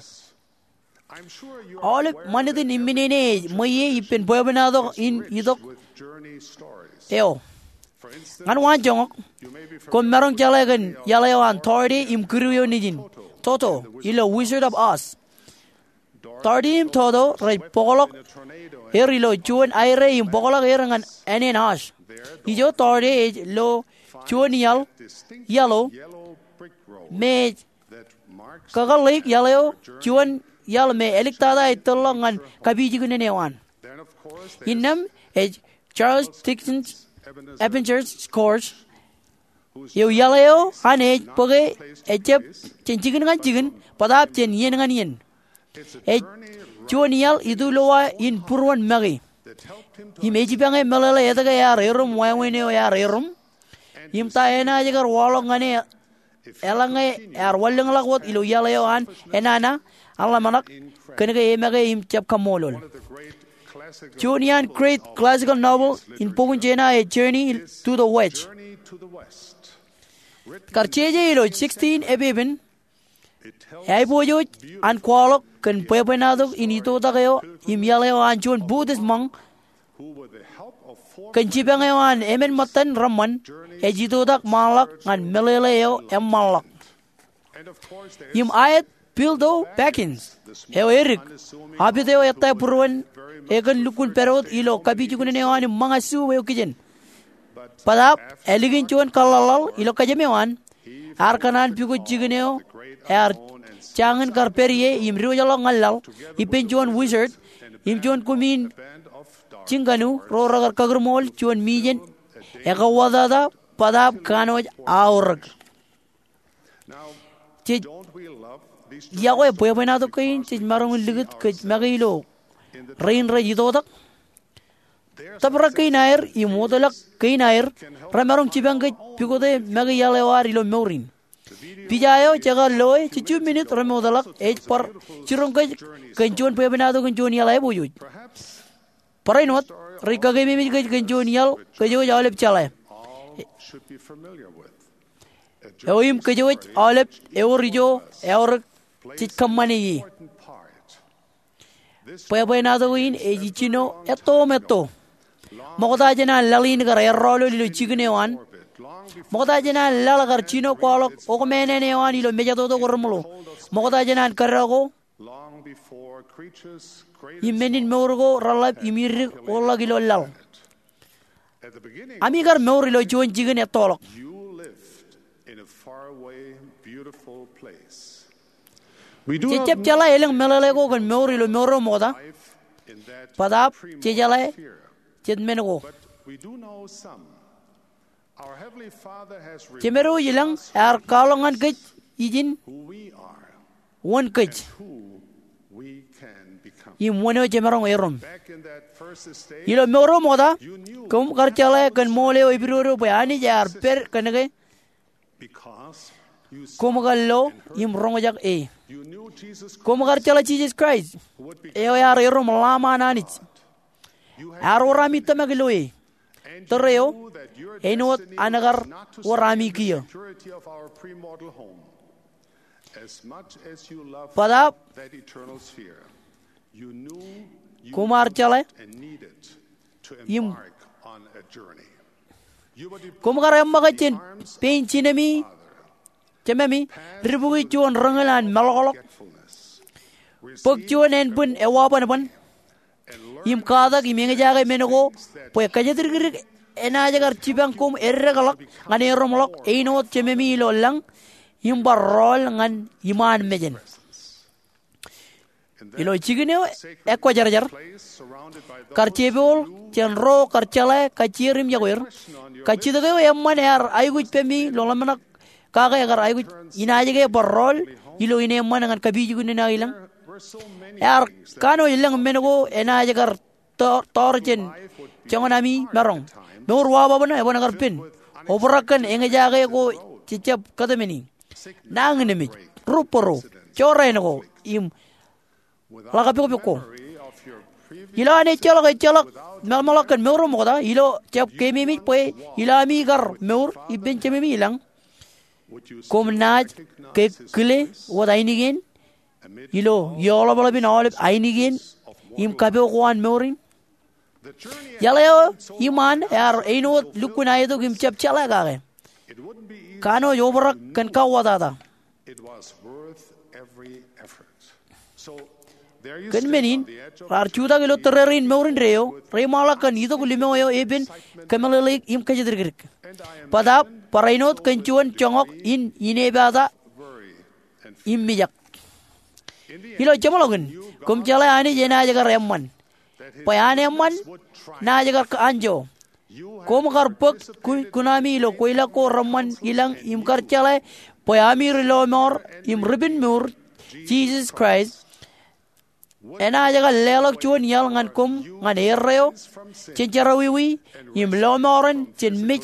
Aolep ṃanit in imminene ej ṃweiie ippān bwebwenato in itok eo. Ñan waanjoñak, koṃ maroñ jeḷā kōn iaḷ eo an Dorothy im kidu eo nejin, Toto, ilo Wizard of Oz. Dorothy im Toto rej bōkḷọk er ilo juon aire im bōkḷọk er ñan ānen osh. Ijo Dorothy ej lo juon iaḷ, iaḷ eo me ej kakōḷḷeik iaḷ eo, juon iaḷ me āliktata ej tōrḷọk ñan kapijuknen eo an. Innām ej Charles Dickens Ebenezer Scrooge, eo iaḷ eo an ej bōke ejjab jān jikin ñan jikin, bōtaab jān iien ñan iien. Ej juon iaḷ itulowa in būruon make im ejipañe meḷeḷe etke ear erom wāween eo ear erom im ta enaaj kar waḷọk ñan e eḷaññe ear wanlōñḷọk wōt ilo iaḷ eo an enana an ḷōmṇak, kōnke emake im jab kaṃṃoolol. Juon iaan great classical novel in bok in China ej Journey to the West. Kar jeje ilo sixteen epepen, eaiboojoj an kwaḷọk kōn bwebwenato in itoitak eo im iaḷ eo an juon Buddhist monk kōn jipañ eo an emān ṃōttan reṃṃan ej itoitak ṃaanḷọk ñan meḷeḷe eo eṃṃanḷọk. Im aet Bilto Baggins, eo edik, apit eo ettā būruon e kōn lukkuun pād wōt ilo kapijuknen eo an im ṃōñā suub eo kijen. Bōtaab ālikin juon kaḷḷaḷḷaḷ ilo kōjām eo an, ear kōṇaan pukot jikin eo ear jañin kar pād ie im diwōjḷọk ñan laḷ ippān juon wizard im juon kumiin jiñkanu ro rekar kakūrmool juon mijen ekauwōtata bōtaab kanooj aorōk. Jej, iọkwe bwebwenato kein jej maroñ in likūt kōj make ilo rein rej itoitak? Tōprak kein aer im wōtlọk kein aer remaroñ jipañ kōj pukote make iaḷ eo ad ilo mour in. Pija eo jekar loe jejjo minit remootḷọk ej bar jiroñ kōj kōn juon bwebwenato kōn juon iaḷ aiboojoj. Barāinwōt rej kakeememej kōj kōn juon iaḷ kōj wōj aolep jeḷā eo im kōj wōj aolep ewōr ijo eaorōk jej kōṃṃane ie. Bwebwenato in ej ijjino etto im etto. Ṃokta jān an laḷ in kar errọọlol ilo jikin eo an, ṃokta jān an laḷ kar jino kwaḷọk okmāān eo an ilo mejatoto ko reṃōḷo, ṃokta jān an kōdọ ko im menin mour ko reḷap im idik wōtḷọk ilo laḷ, ami kar mour ilo juon jikin ettoḷọk. Jej jab jeḷā elōñ meḷeḷe ko kōn mour ilo mour eo ṃokta, bōtaab jejeḷā jet men ko. Jemedwōj ilañ ear kwaḷọk ñan kōj ijin wōn kōj im wōn eo jemaroñ erom. Ilo mour eo ṃokta, koṃ kar jeḷā kōn ṃool eo epidodo bwe Anij ear pād kōnke koṃ kar lo im roñjake e. Koṃ kar jeḷā Jisōs Kraist, eo ear erom Lamb an Anij. Ear wōr ami tōmak ilo e. Tōre eo, āinwōt an kar wōr ami kiiō. Bōtaab koṃ ar jeḷā im koṃ kar eṃṃakūt jān pein jinemi, jememi, dibukwi juon rōñin an meḷọkḷọk. Bōk juon ānbwin ewabwanbwan im katak im eñjake men ko bwe kōjatdikdik enaaj kar jipañ koṃ eddekḷọk ñan erom ḷọk āinwōt Jememi ilo lañ im bar rọọl ñan iṃaan mejān. Ilo jikin eo ekwōjarjar, kar jepooḷ jān ro kar jeḷā kajjier im yokweir, kajjitōk eo eṃṃan ear aikuj pemi ilo ḷōmṇak kake ekar aikuj inaaj ke bar rọọl ilo ineeṃṃan ñan kapijuknen aō ilañ. Ear kanooj lōñ men ko enaaj kar tọọr jān joñan ami maroñ. Mour wabwabna eban kar pen. Obrak kōn eñjake ko jejjab kōtmāne. Nañinmej, rubaro, jorrāān ko, im ḷakapokpok ko. Ilo an ejjeḷọk, ejjeḷọk meḷmeḷọk kōn mour eo ṃokta, ilo jab keememej bwe ilo ami kar mour ippān Jememi ilañ, koṃ naaj ke kile wōt ainikien ilo eoḷapḷap in aolep ainikien im kapo ko an mour in? Iaḷ eo iṃaan ear āinwōt lukkuun aetok im jab jeḷā kake. Kanooj obrak kōn kauwōtata. Kōn men in, raar jutak ilo tōrerein mour indeeo, reiṃaanḷọk kōn itok limo eo epen kōmeḷeḷeik im kōjatdikdik. Bōtaab barāinwōt kōn juon joñak in inepata im mijak. Ilo jeṃḷọkin, koṃ jeḷā Anij enaaj kar eṃṃan, bwe an eṃṃan naaj kar anjọ. Koṃ kar bōk kuṇaami ilo kweilọk ko reṃṃan ilañ im kar jeḷā bwe ami ri-lọmọọr im ri-penmour Jisōs Kraist enaaj kar leḷọk juon iaḷ ñan koṃ ñan erreo jān jerọwiwi im lọmọọren jān mej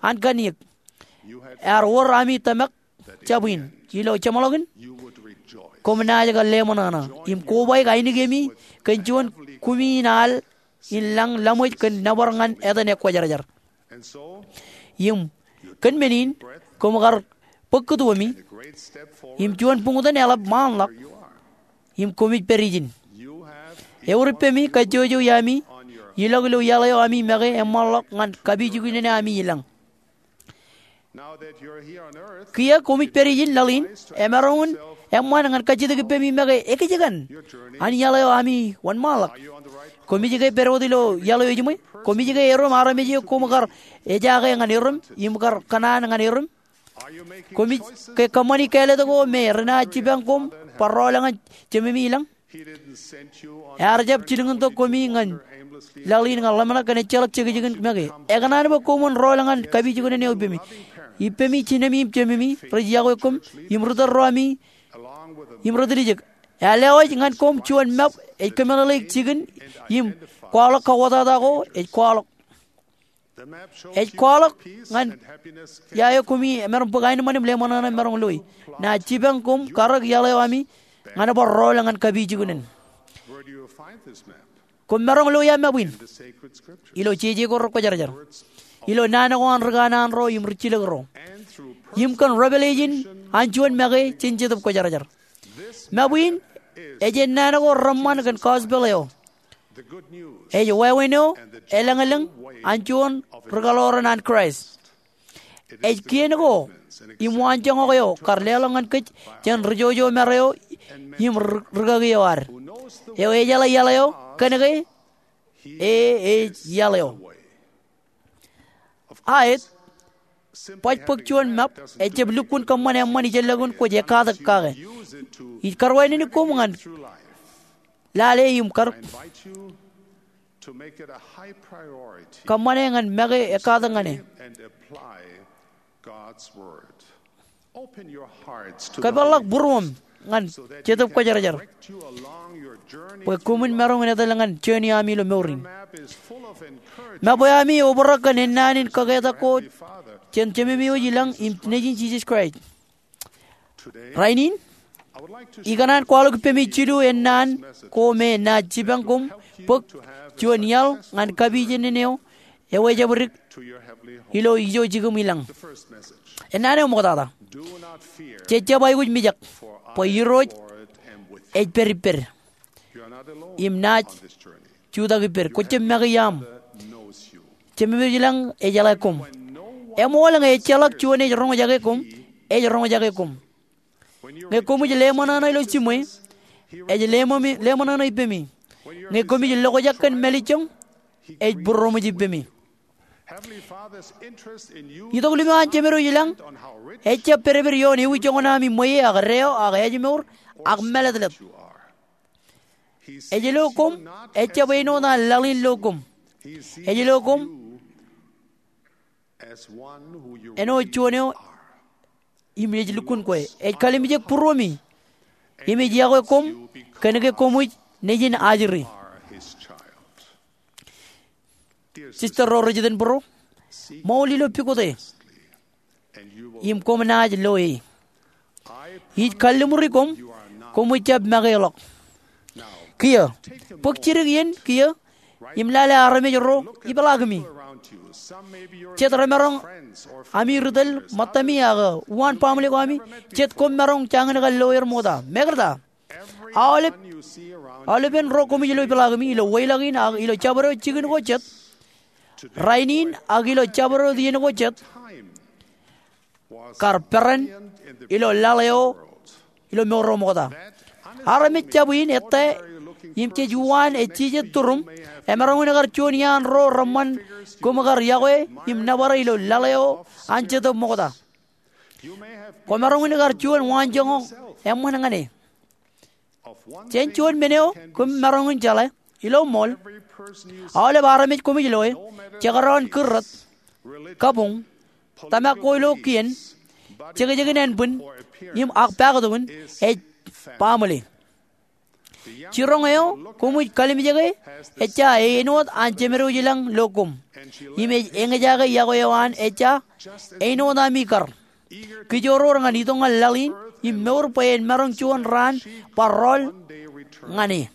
an kanniōk. Ear wōr ami tōmak jab in. Ilo jeṃḷọkin, koṃ naaj kar leṃōṇōṇō im kobaik ainikemi kōn juon kumiin al in lañ laṃōj kōn nōbar ñan etan ekwōjarjar. Im kōn men in, koṃ kar bōk kūtuomi im juon buñtōn eḷap ṃaanḷọk im koṃij pād ijin. Eor ippemi kajjojo iaami ilọk ilo iaḷ eo ami make eṃṃanḷọk ñan kapijuknen ami ilañ. Kiiō koṃij pād ijin laḷ in, emaroñ in eṃṃan ñan kajjitōk ippemi make ekjkan an iaḷ eo ami wōnṃaanḷọk. Koṃij ke pād wōt ilo iaḷ eo ejiṃwe? Koṃij ke erom armej eo koṃ kar ejaake ñan erom im kar kōṇaan ñan erom? Koṃij ke kōṃṃani kāālōt ko me renaaj jipañ koṃ bar rọọl ñan Jememi ilañ? Ear jab jilkintok koṃi ñan laḷ in ñan ḷōmṇak kōn ejjeḷọk jekjekin make. Ekōṇaan bwe koṃwin rọọl ñan kapijuknen eo ippemi. Ippemi, jinemi im jememi rej iọkwe koṃ im ri-tōl ro ami im ri-tiljek. Ear lewōj ñan koṃ juon map ej kōmeḷeḷeik jikin im kwaḷọk kauwōtata ko ej kwaḷọk. Ej kwaḷọk ñan ia eo koṃi maroñ bōk aenōṃṃan im leṃōṇōṇō im maroñ loi. Naaj jipañ koṃ karōk iaḷ eo ami ñan bar rọọl ñan kapijuknen. Koṃ maroñ loi ia map in? Ilo jeje ko rekwōjarjar, ilo naan ko an ri kanaan ro im ri jilōk ro, im kōn revelation an juon make jān Jetōb Kwōjarjar. Map in ej ennaan ko reṃṃan kōn gospel eo. Ej wāween eo elōñlōñ an juon ri-kaḷoran an Kraist. Ej kien ko im waanjoñak eo kar leḷọk ñan kōj jān ri-jojo mare eo im ri-, rikaki eo ad, eo ejeḷā iaḷ eo, kōnke e ej iaḷ eo. Aet, baj bōk juon map ejjab lukkuun kōṃṃan eṃṃan ijellọkin kwōj ekkatak kake. Ij karuwainene koṃ ñan lale im kar kōṃṃane ñan make ekkatak ñan e. Kōpeḷḷọk būruōṃ ñan Jetōb Kwōjarjar bwe koṃwin maroñ in etal ñan journey ami ilo mour in. Map eo ami eobrak kōn ennaan in kaketak ko jān Jememi wōj ilañ im Nejin Jisōs Kraist. Rainin, ikōṇaan kwaḷọk ippemi jilu ennaan ko me naaj jipañ koṃ bōk juon iaḷ ñan kapijuknen eo ewōj ejabdik ilo ijo jikūṃ ilañ. Ennaan eo ṃoktata. Jejjab aikuj mijak, bwe Irooj ej pād ippād im naaj jutak ippād. Kwōjjab make iaam. Jemem ilañ ejeḷā koṃ. Eṃool ñe ejjeḷọk juon ej roñjake koṃ, ej roñjake koṃ. Ñe koṃij leṃōṇōṇō ilo jiṃwe, Ej leṃōmi, leṃōṇōṇō ippemi. Ñe koṃij lokjak kōn mālejjoñ, ej būroṃōj ippemi. Itok limo an Jemedwōj ilañ ejjab pedped ioon ewi joñan ami ṃweiie ak deo ak ājmour ak mālōtlōt. Ej lo koṃ, ejjab āinwōt an laḷ in lo koṃ. Ej lo koṃ āinwōt juon eo im ej lukkuun kwe. Ej kalimjek būruemi im ej yokwe koṃ kōnke koṃij nejin ajri. Sister ro rej iten būruo, ṃool ilo pukot e im koṃ naaj lo e. Ij kalliṃuri koṃ, koṃij jab makeḷọk. Kiiō, bōk jidik iien kiiō im lale armej ro ipeḷaakimi. Jet remaroñ ami ri tōl ṃōttami ak uwaan baaṃle ko ami, jet koṃ maroñ jañin kar lo er ṃokta. Mekarta, aolep, aolepen ro koṃij lo ipeḷaakimi ilo weilọk in ak ilo jabdewōt jikin ko jet, rainin ak ilo jabdewōt iien ko jet, kar peran ilo laḷ eo ilo mour eo ṃokta. Armej jab in ettā im jej uwaan ejjejet turuṃ, emaroñ in kar juon iaan ro reṃṃan koṃ kar yokwe im nōbar ilo laḷ eo an Jetōb ṃokta. Koṃaroñ in kar juon waanjoñak eṃṃan ñan e. Jān juon men eo koṃ maroñ in jeḷā, ilo ṃool, aolep armej koṃij lo e, jekdọọn kūrrot, kabuñ, tōmak ko ilo kien, jekjekin ānbwin, im ak paktok in, ej baaṃle. Jiroñ eo koṃij kalimjeke ejja āinwōt an Jemedwōj ilañ lo koṃ, im ej eñjake yokwe eo an ejja āinwōt ami kar. Kijoor ñan itok ñan laḷ in im mour bwe en maroñ juon raan bar rọọl ñan e.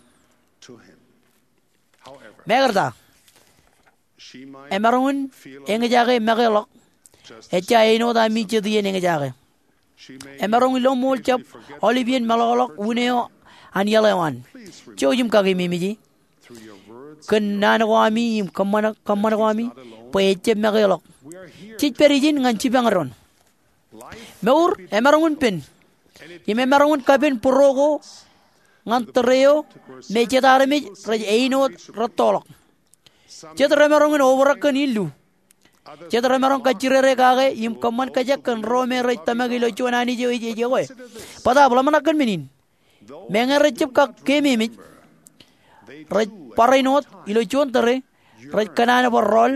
Mekarta, emaroñ in eñjake makeḷọk ejja āinwōt ami jet iien eñjake. Emaroñ ilo ṃool jab aolep iien meḷọkḷọk unin eo an iaḷ eo an. Jouj im kakememej e kōn naan ko ami im kōṃṃan, kōṃṃan ko ami bwe ejjab makeḷọk. Jej pād ijin ñan jipañ doon. Mour emaroñ in pen, im emaroñ in kapen būruo ko ñan tōre eo me jet armej rej āinwōt rettoḷọk. Jet remaroñ in obrak kōn illu. Jet remaroñ kajjirere kake im kōṃṃan kajek kōn ro me rej tōmak ilo juon Anij eo ej, ej yokwe. Bōtaab ḷōmṇak kōn men in. Meñe rejjab kak keememej, rej barāinwōt ilo juon tōre, rej kōṇaan bar rọọl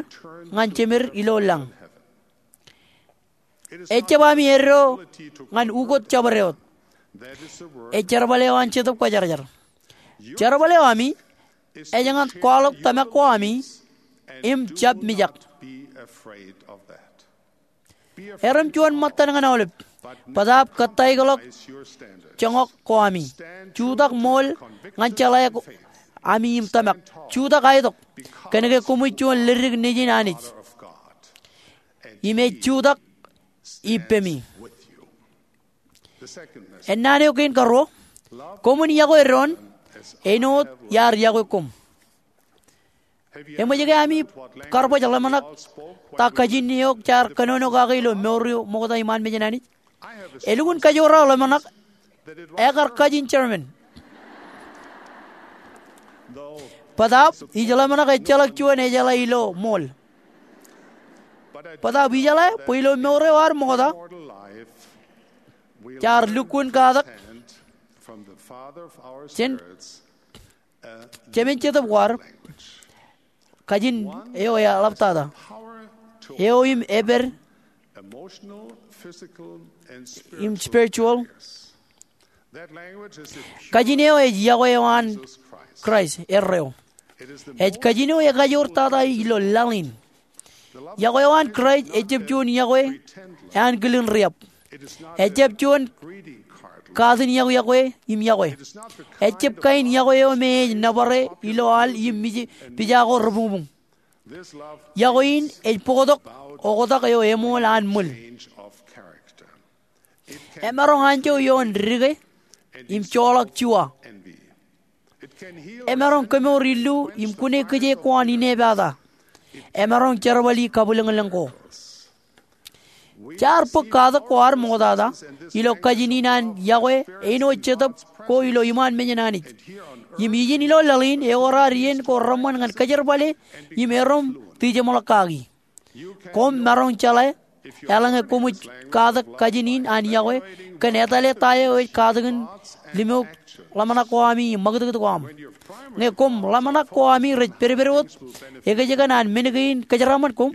ñan jemed ilo lañ. Ejjab ami eddo ñan ukot jabdewōt. Ej jerbal eo an Jetōb Kwōjarjar. Jerbal eo ami ej ñan kwaḷọk tōmak ko ami im jab mijak. Erom juon ṃōttan ñan aolep, bōtaab kōttāikḷọk joñak ko ami. Jutak ṃool ñan jeḷā ko ami im tōmak. Jutak aetok, kōnke koṃij juon ledik nejin Anij. Im ej jutak ippemi. Ennaan eo kein karuo, koṃwin yokwe doon āinwōt iar yokwe koṃ. Eṃōj ke ami kar baj ḷōmṇak ta kajin eo jaar kōnono kake ilo mour eo ṃokta iṃaan mejān Anij? Elukkuun kajoor aō ḷōmṇak ekar kajin German. Bōtaab ij ḷōmṇak ejjeḷọk juon ejeḷā ilo ṃool. Bōtaab ijeḷā bwe ilo mour eo ad ṃokta, jaar lukkuun katak jān Jemān Jetōb ko ad, kajin eo eḷaptata, eo im epād, im spiritual. Kajin eo ej yokwe eo an Kraist erreo. Ej kajin eo ekajoor tata ilo laḷ in. Yokwe eo an Kraist ejjab juon yokwe ānkilin riab. Ejjab juon katin yokwe im yokwe. Ejjab kain yokwe eo me ej nōbare ilo al im mije pija ko rebuñbuñ. Yokwe in ej bōktok oktak eo eṃool an ṃwil. Emaroñ anjọ ioon dike im joḷọk juwa. Emaroñ kemour illu im kune kijeek ko an inepata. Emaroñ jerbali kabwilōñlōñ ko. Jaar bōk katak ko ad ṃoktata ilo kajin in an yokwe āinwōt Jetōb ko ilo iṃaan mejān Anij. Im ijin ilo laḷ in ewōr ad iien ko reṃṃan ñan kōjerbale im erom tijeṃḷọk kaki. Koṃ maroñ jeḷā, eḷaññe koṃij katak kajin in an yokwe, kōn etale ta eo ej katakin limok ḷōmṇak ko ami im ṃakūtkūt ko aṃ. Ñe koṃ ḷōmṇak ko ami rej pedped wōt, ekōjkan an men kein kōjeraaṃṃan koṃ.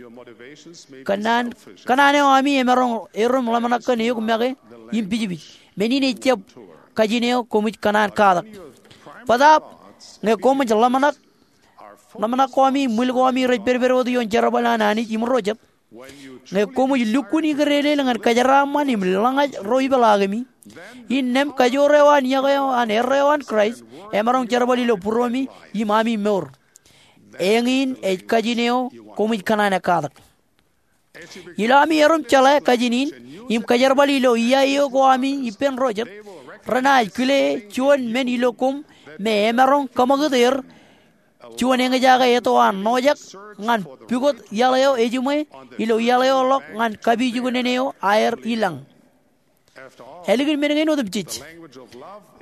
Kōn an, kōn an eo ami emaroñ erom ḷōmṇak kōn eok make im pijpij. Men in ejjab kajin eo koṃij kōṇaan katak. Bōtaab, ñe koṃij ḷōmṇak, ḷōmṇak ko ami im ṃwil ko ami rej pedped wōt ioon jerbal an Anij im ro jet. Ñe koṃij lukkuun ikōdeḷeḷ ñan kōjeraaṃṃan im lōñaj ro ipeḷaakemi, innām kajoor eo an yokwe eo an erreo an Kraist emaroñ jerbal ilo būruemi im ami mour. Eñin ej kajin eo koṃij kōṇaan katak. Ilo ami erom jeḷā kajin in im kōjerbal ilo iaio ko ami ippān ro jet, renaaj kile juon men ilo koṃ me emaroñ kōṃakūt er juon eñjake eto an ṇojak ñan pukot iaḷ eo ejiṃwe ilo iaḷ eo ḷọk ñan kapijuknen eo aer ilañ. Ālikin men kein otemjej,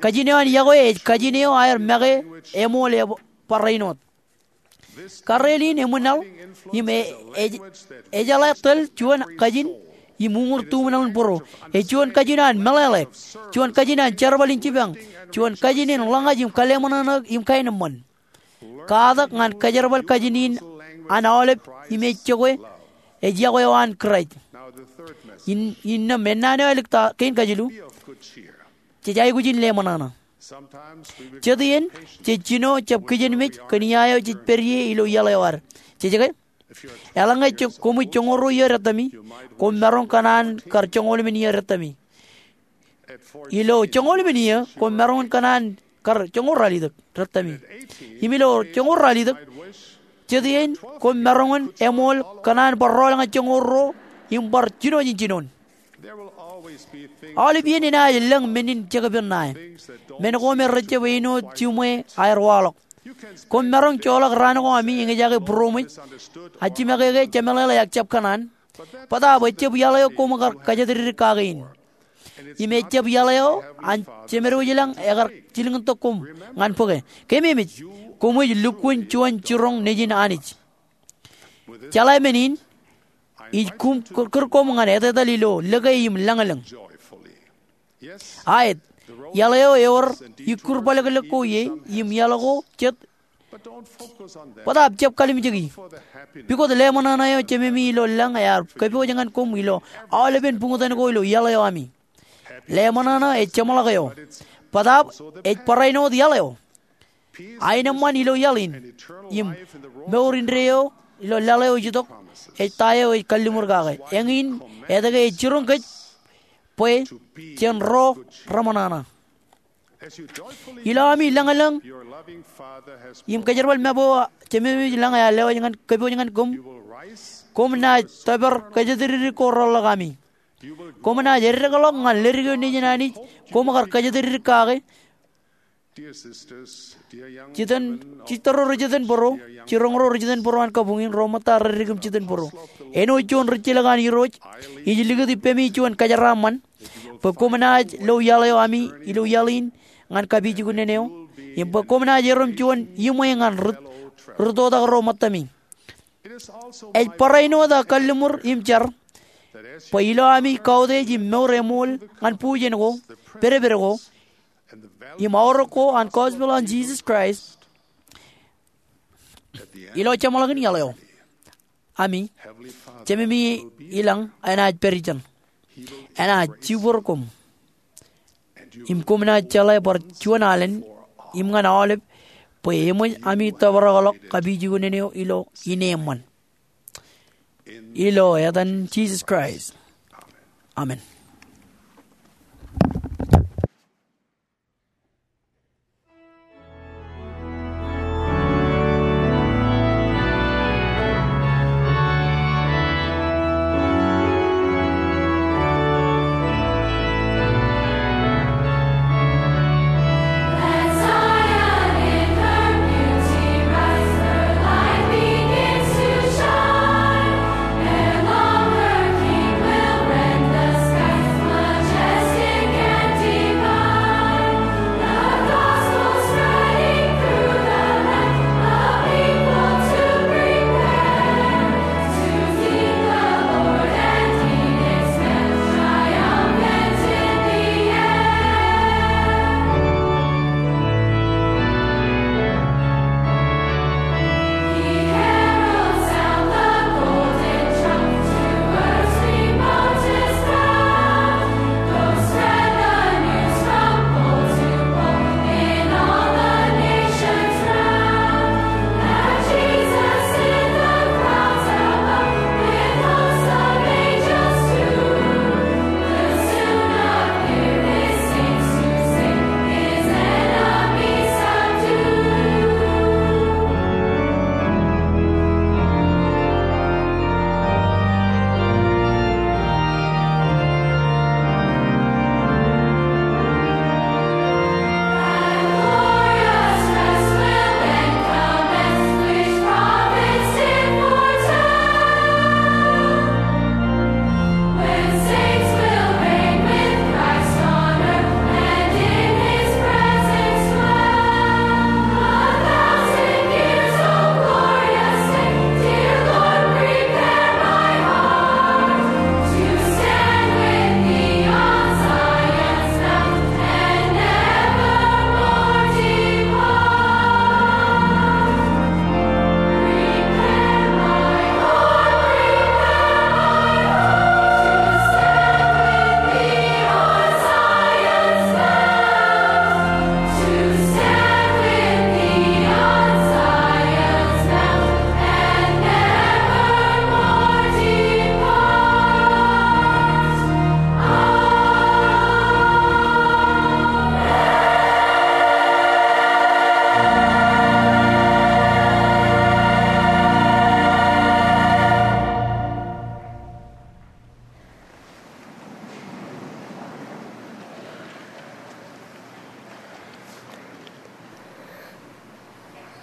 kajin eo an yokwe ej kajin eo aer make eṃool eo barāinwōt. Karreel in eṃwilaḷ im e-, ej-, ejeḷā tōl juon kajin im uñūr tuṃwin ḷọk in būro. Ej juon kajin an meḷeḷe, juon kajin an jerbal in jipañ, juon kajin in ḷōñaj im kōḷmānḷọkḷọk im kaenōṃṃan. Katak ñan kōjerbal kajin in an aolep im ej jokwe, ej yokwe eo an Kraist. In, innām ennaan eo ālikin kein kajilu, jej aikuj in ḷōmṇak. Jet iien, jej jino jab kijenmej kōn ia eo jej pād ie ilo iaḷ eo ad. Jej ke? Eḷaññe je-, koṃij joñoul ruo iiō dettami, koṃ maroñ kōṇaan kar joñoul emān iiō dettami. Ilo joñoul emān iiō, koṃ maroñ in kōṇaan kar joñoul ralitōk dettami. Im ilo joñoul ralitōk, jet iien, koṃ maroñ in eṃool kōṇaan bar rọọl ñan joñoul ruo im bar jino jān jinoin. Aolep iien enaaj lōñ men in jekpen ṇae, men ko me rejjab āinwōt jiṃwe aer waḷọk. Koṃ maroñ joḷọk raan ko ami eñjake būroṃōj, ajimọkeke, jemeḷeḷe ak jab kōṇaan. Bōtaab ejjab iaḷ eo koṃ kar kōjatdikdik kake in. Im ejjab iaḷ eo an Jemedwōj ilañ ekar jilkintok koṃ ñan bōke. Keememej, koṃij lukkuun juon jiroñ nejin Anij. Jeḷā men in, ij kūm kūr koṃ ñan etetal ilo lōke im lañlōñ. Aet, iaḷ eo ewōr ikūr bōlōklōk ko ie im iaḷ ko jet, bōtaab jab kalimjeki. Pukot ḷōmṇak eo Jememi ilo lañ ear kōpooj ñan koṃ ilo aolepen buñtōn ko ilo iaḷ eo ami. Ḷōmṇak ej jeṃḷọk eo, bōtaab ej barāinwōt iaḷ eo. Aenōṃṃan ilo iaḷ in im mour indeeo ilo laḷ eo ej itok ej ta eo ej kalliṃur kake. Eñin etke ej jiroñ kōj bwe jen ro reṃōṇōṇō. Ilo ami lañlōñ im kōjerbal mab eo Jememi ilo lañ ear lewōj ñan, kōpooj ñan koṃ, koṃ naaj tōpar kōjatdikdik ko reḷḷọk ami. Koṃ naaj eddekḷọk ñan ledik eo nejin Anij koṃ kar kōjatdikdik kake. Jitōn, jistōr ro rej jitōnbōro, jiroñ ro rej jitōnbōro an kabuñ in, ro ṃōtta reddik im jitōnbōro. Āinwōt juon rijjilōk an Irooj, ij likūt ippemi juon kajeraaṃṃan bwe koṃ naaj lo iaḷ eo ami ilo iaḷ in ñan kapijuknen eo, im bwe koṃ naaj erom juon iṃwe ñan ri-, rūttotak ro ṃōttami. Ej barāinwōt aō kalliṃur im jar bwe ilo ami kautiej im mour eṃool ñan bujen ko, pedped ko, im aorōk ko an gospel an Jisōs Kraist, ilo jeṃḷọkin iaḷ eo, ami Jememi ilañ enaaj pād ijeṇ. Enaaj jibwōr koṃ. Im koṃ naaj jeḷā bar juon alen im ñan aolep bwe eṃōj ami tōprakḷọk kapijuknen eo ilo ineeṃṃan. Ilo etan Jisōs Kraist. Amen.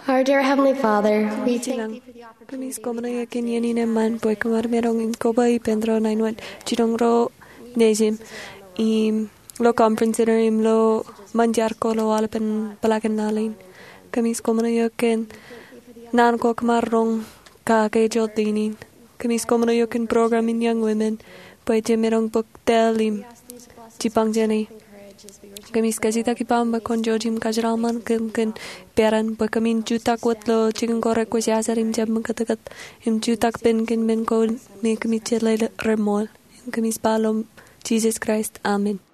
Our dear Heavenly Father, we thank thee for the opportunity. Kōmij koṃṃool eok kōn iien in eṃṃan bwe kōm ar maroñ in koba ippān ro nañinwōt jinoin ro nejim im ilo Conference Center im ilo ṃōn jar ko ilo aolepen Black and Nalin. Kōmij koṃṃool eok kōn naan ko kōm ar roñ kake ijoltinin. Kōmij koṃṃool eok kōn program in Young Women bwe jej maroñ bōk tōl im jipañ jāne. Kōmij kajjitōk ippaṃ bwe kwōn jouj im kajeraṃṃan kōm kōn peran bwe kōmin jutak wōt ilo jikin ko rekwōjarjar im jab ṃōkūtkūt im jutak ippān kōn men ko me kōmij jeḷā reṃool. Im kōmij ba ilo etan Jisōs Kraist, amen.